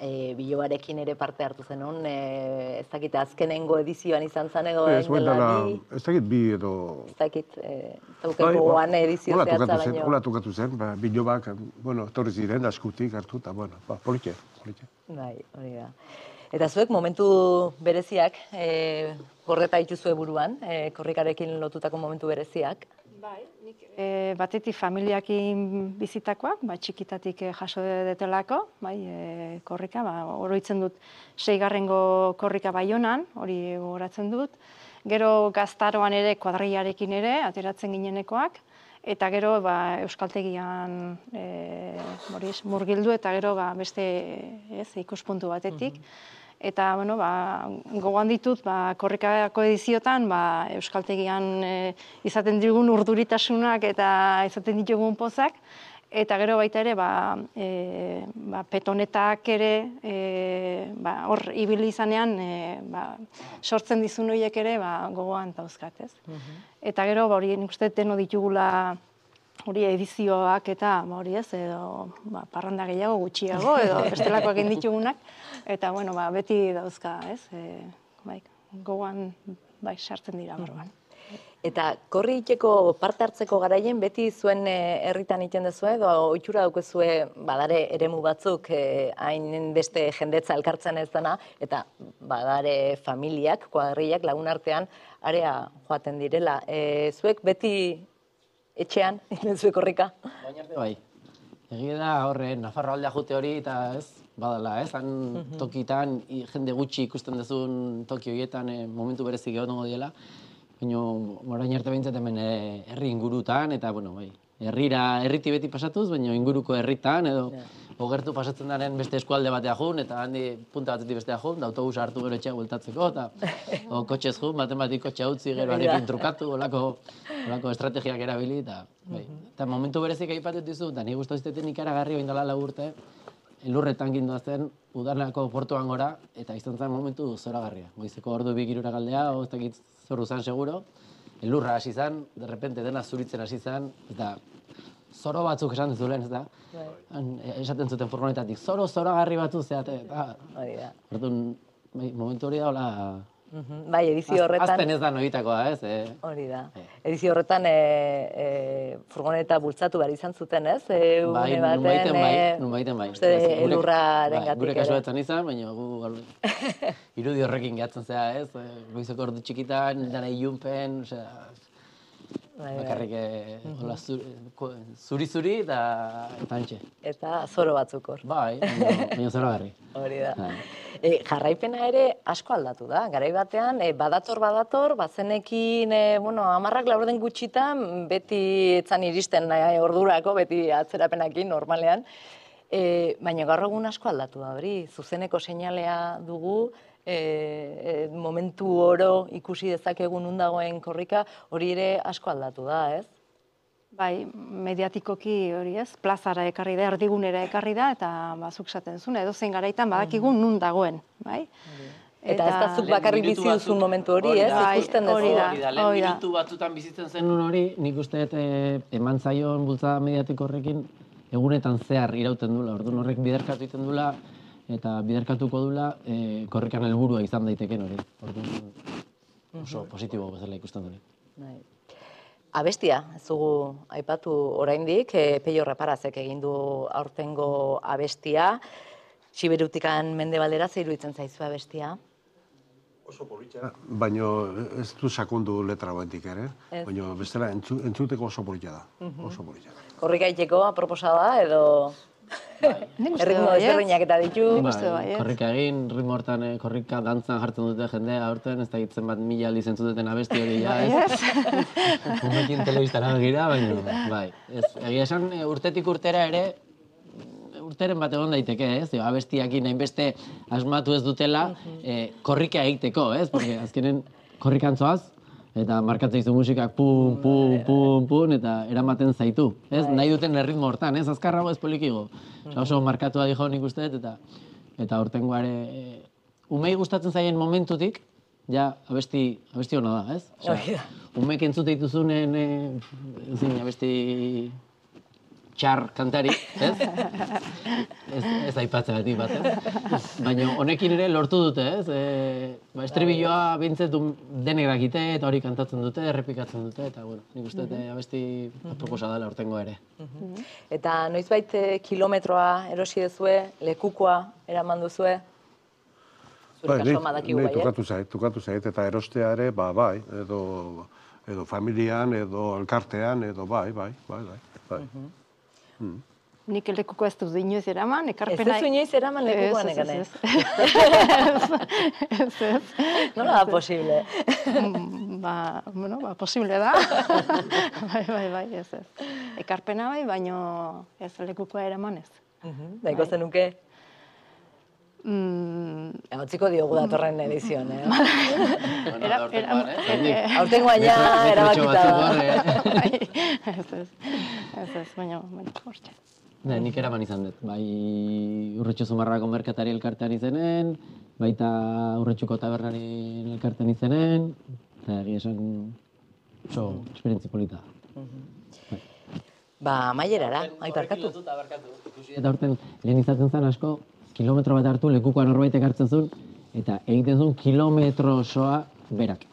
Bilobarekin ere parte hartu zenun, ez dakit azkenengo edizioan izan zen edo Ez dakit bi edo... Ez dakit, zauken gogoan edizio zehatza baino. Hola tukatu zen, bilobak, bueno, torri ziren, askutik hartu, eta, bueno, politxe, politxe. Bai, hori da. Eta zuek momentu bereziak, gordeta dituzue buruan, korrikarekin lotutako momentu bereziak? Bai, nik batetik familiakin bizitakoak, txikitatik jaso detelako, korrika, oroitzen dut seigarrengo korrika Baionan, hori gogoratzen dut. Gero gaztaroan ere, kuadrillarekin ere, ateratzen ginenekoak, eta gero euskaltegian murgildu eta gero beste ikuspuntu batetik. Eta gogoan ditut korrikako ediziotan euskaltegian izaten digun urduritasunak eta izaten ditugun pozak, eta gero baita ere petonetak ere hor ibili izanean sortzen dizun horiek ere gogoan dauzkat, ez? Eta gero hori nik uste deno ditugula hori edizioak eta hori ez, edo parranda gehiago, gutxiago, edo bestelakoak egin ditugunak, eta bueno, beti dauzka, ez, gogoan sartzen dira borroan. Eta korri itxeko parte hartzeko garaien beti zuen herritan iten dezue, edo ohitura daukezue badare eremu batzuk hain beste jendetza elkartzen ez dena, eta badare familiak, kuadrillak lagun artean area joaten direla. Zuek beti etxean, zuek korrika? Baina arte bai. Egia da horre, Nafarro aldea jute hori eta ez, badala, ez? Han tokitan, jende gutxi ikusten duzun toki horietan momentu berezik egongo diela. Baina, orain arte behintzat hemen herri ingurutan, eta, bueno, bai, herrira, herriti beti pasatuz, baina inguruko herritan, edo ogertu pasatzen daren beste eskualde batea jun, eta handi punta batetik bestea jun, da autobus hartu gero etxea bueltatzeko, eta o kotxez jun, baten batik kotxea utzi, gero arekin trukatu, olako estrategiak erabili, eta, bai. Eta momentu berezik aipatut dizu, eta nik guztu izteten ikaragarri oindala lau urte, elurretan ginduazten, udarnako portuan gora, eta izan zen momentu zoragarria. Goizeko ordu bi girura galdea, o ez dakit zoru zan seguro, elurra hasi zan, derrepente dena zuritzen hasi zan, eta zoro batzuk esan duzulen, ez da? Esaten zuten furgonetatik, zoro zoragarri batzu zeate, eta... Orduan, momentu hori da, hola... Bai, edizio horretan... Azten ez da noitakoa, ez? Hori da. Edizio horretan furgoneta bultzatu behar izan zuten, ez? Bai, nun baiten bai, nun baiten bai. Elurraren gatik. Gure kasuetan izan, baina gu irudi horrekin gehatzen zea, ez? Goizeko ordu txikitan, dana ilunpen, osea... Bakarrik zuri-zuri eta antxe. Eta zoro batzuk hor. Bai, baina zoro garri. Hori da. E, jarraipena ere asko aldatu da. Garai batean, e, badator, badator, bazenekin, e, bueno, amarrak laurden gutxitan, beti etzan iristen e, ordurako, beti atzerapenakin, normalean. E, baina gaur egun asko aldatu da hori, zuzeneko seinalea dugu, e, e, momentu oro ikusi dezakegun nun dagoen korrika, hori ere asko aldatu da, ez? Bai, mediatikoki hori ez, plazara ekarri da, erdigunera ekarri da, eta bazuk esaten zuen, edo zein garaitan badakigun nun dagoen, bai? Eta ez da zuk bakarrik bizi duzun momentu hori, ez? Ikusten duzu. Hori da, Lehen hori da. minutu batzutan bizitzen zenun hori, nik uste eman zaion bultzada mediatiko horrekin, egunetan zehar irauten dula, orduan horrek biderkatu egiten dula, eta biderkatuko dula, e, korrikan helburua izan daiteken hori. Orduan oso positibo bezala ikusten dut. Bai. Abestia, ez dugu aipatu oraindik, e, Peio Reparazek egin du aurtengo abestia. Siberutikan mendebaldera zer iruditzen zaizu abestia? Oso polita, baina ez du sakondu letra batik ere, baina bestela entzu, entzuteko oso polita da, oso polita. Korrika itxeko aproposa da, edo erritmo desberdinak eta ditu? Korrika egin, ritmo hortan korrika dantzan jartzen dute jendea aurten, ez da hitzen bat mila aldiz entzuteten abesti hori ja, ez? Umekin telebistara begira, baina, bai. Egia esan, urtetik urtera ere, urteren bat egon daiteke, ez? Abestiakin hainbeste asmatu ez dutela korrika egiteko, ez? Porque azkenen korrikan zoaz, eta markatzen izu musikak pum, pum, pum, pum, eta eramaten zaitu, ez? Nahi duten erritmo hortan, ez? Azkarrago ez polikigo. Oso markatua dijo nik uste dut, eta eta urtengoare umei gustatzen zaien momentutik, ja abesti abesti hona da, ez? Umeek entzute dituzunen abesti txar kantari, ez? Ez aipatzegatik bat, ez? Baina honekin ere lortu dute, ez? Estribilloa bintzet denek dakite eta hori kantatzen dute, errepikatzen dute, eta bueno, nik uste abesti proposa dela aurtengo ere. Eta noizbait kilometroa erosi duzue, lekukoa eraman duzue? Zure kasoma dakigu bai, tukatu zait, tukatu zait, eta erostea ere, ba, bai, edo edo familian, edo elkartean, edo bai, bai, bai, bai. Nik lekuko ez dut inoiz eraman, ekarpena... Ez ez inoiz eraman lekukoan ekan, ez? Ez, ez. Nola da posible? Ba, bueno, ba, posible da. Bai, bai, bai, ez, ez. Ekarpena bai, baino ez lekukoa eraman ez. Daiko zenuke? Hotziko diogu datorren edizioan, eh? Aurtengoan ja erabakita da. Ez, ez. Ez, ez, baina, hortxe. Nik eraman izan dut, bai Urretxu Zumarrako merkatari elkartean izenen, baita Urretxuko tabernari elkartean izenen, eta egia esan oso esperientzi polita. Ba, maierara, aiparkatu. Eta horten lehen izaten zen asko, kilometro bat hartu lekukoan norbaitek hartzen zuen, eta egiten zuen kilometro osoa berak.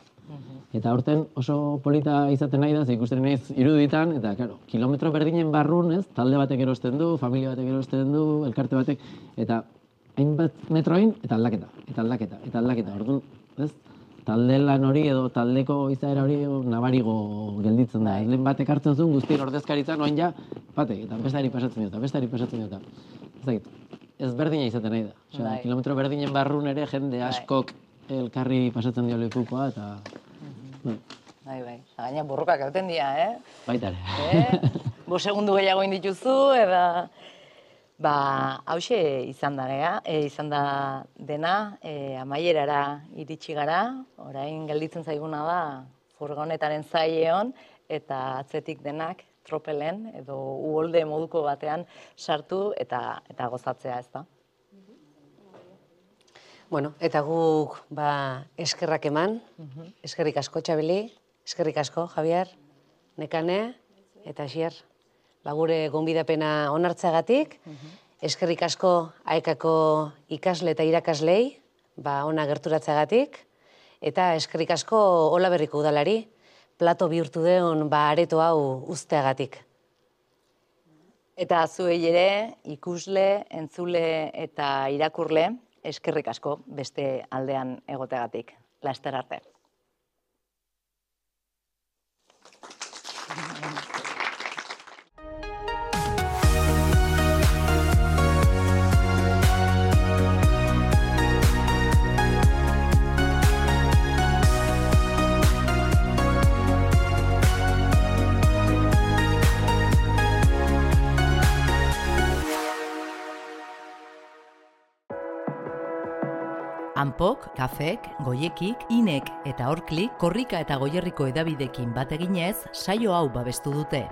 Eta horten oso polita izaten nahi da, ze ikusten naiz iruditan, eta claro, kilometro berdinen barrun, ez, talde batek erosten du, familia batek erosten du, elkarte batek, eta hainbat metroin, eta aldaketa, eta aldaketa, eta aldaketa. Orduan, ez, talde lan hori edo taldeko izaera hori nabarigo gelditzen da. Lehen batek hartzen zuen, guztien ordezkaritzan, oain ja, batek, eta bestari pasatzen dut, bestari pasatzen dut. Ez dakit, ez berdina izaten nahi da. Osea, kilometro berdinen barrun ere jende askok elkarri pasatzen dio lekukoa, eta... Bai, bai. Gaina burrukak hauten dira, eh? Baita ere. Bo segundu gehiago indituzu, eta... Ba, hause izan da gea, izan da dena, amaierara iritsi gara, orain gelditzen zaiguna da furgonetaren zaileon, eta atzetik denak tropelen edo uholde moduko batean sartu eta eta gozatzea, ez da? Bueno, eta guk ba, eskerrak eman, eskerrik asko Txabeli, eskerrik asko Javier, Nekane eta Asier. Ba, gure gonbidapena onartzeagatik, eskerrik asko Aekako ikasle eta irakaslei, ba, ona gerturatzeagatik, eta eskerrik asko Olaberriko udalari, plato bihurtu deon ba, areto hau uzteagatik. Eta zuei ere, ikusle, entzule eta irakurle, eskerrik asko beste aldean egoteagatik. Laster arte. Anpok, Kafek, Goiekik, Inek eta Orklik korrika eta Goierriko edabidekin bat eginez saio hau babestu dute.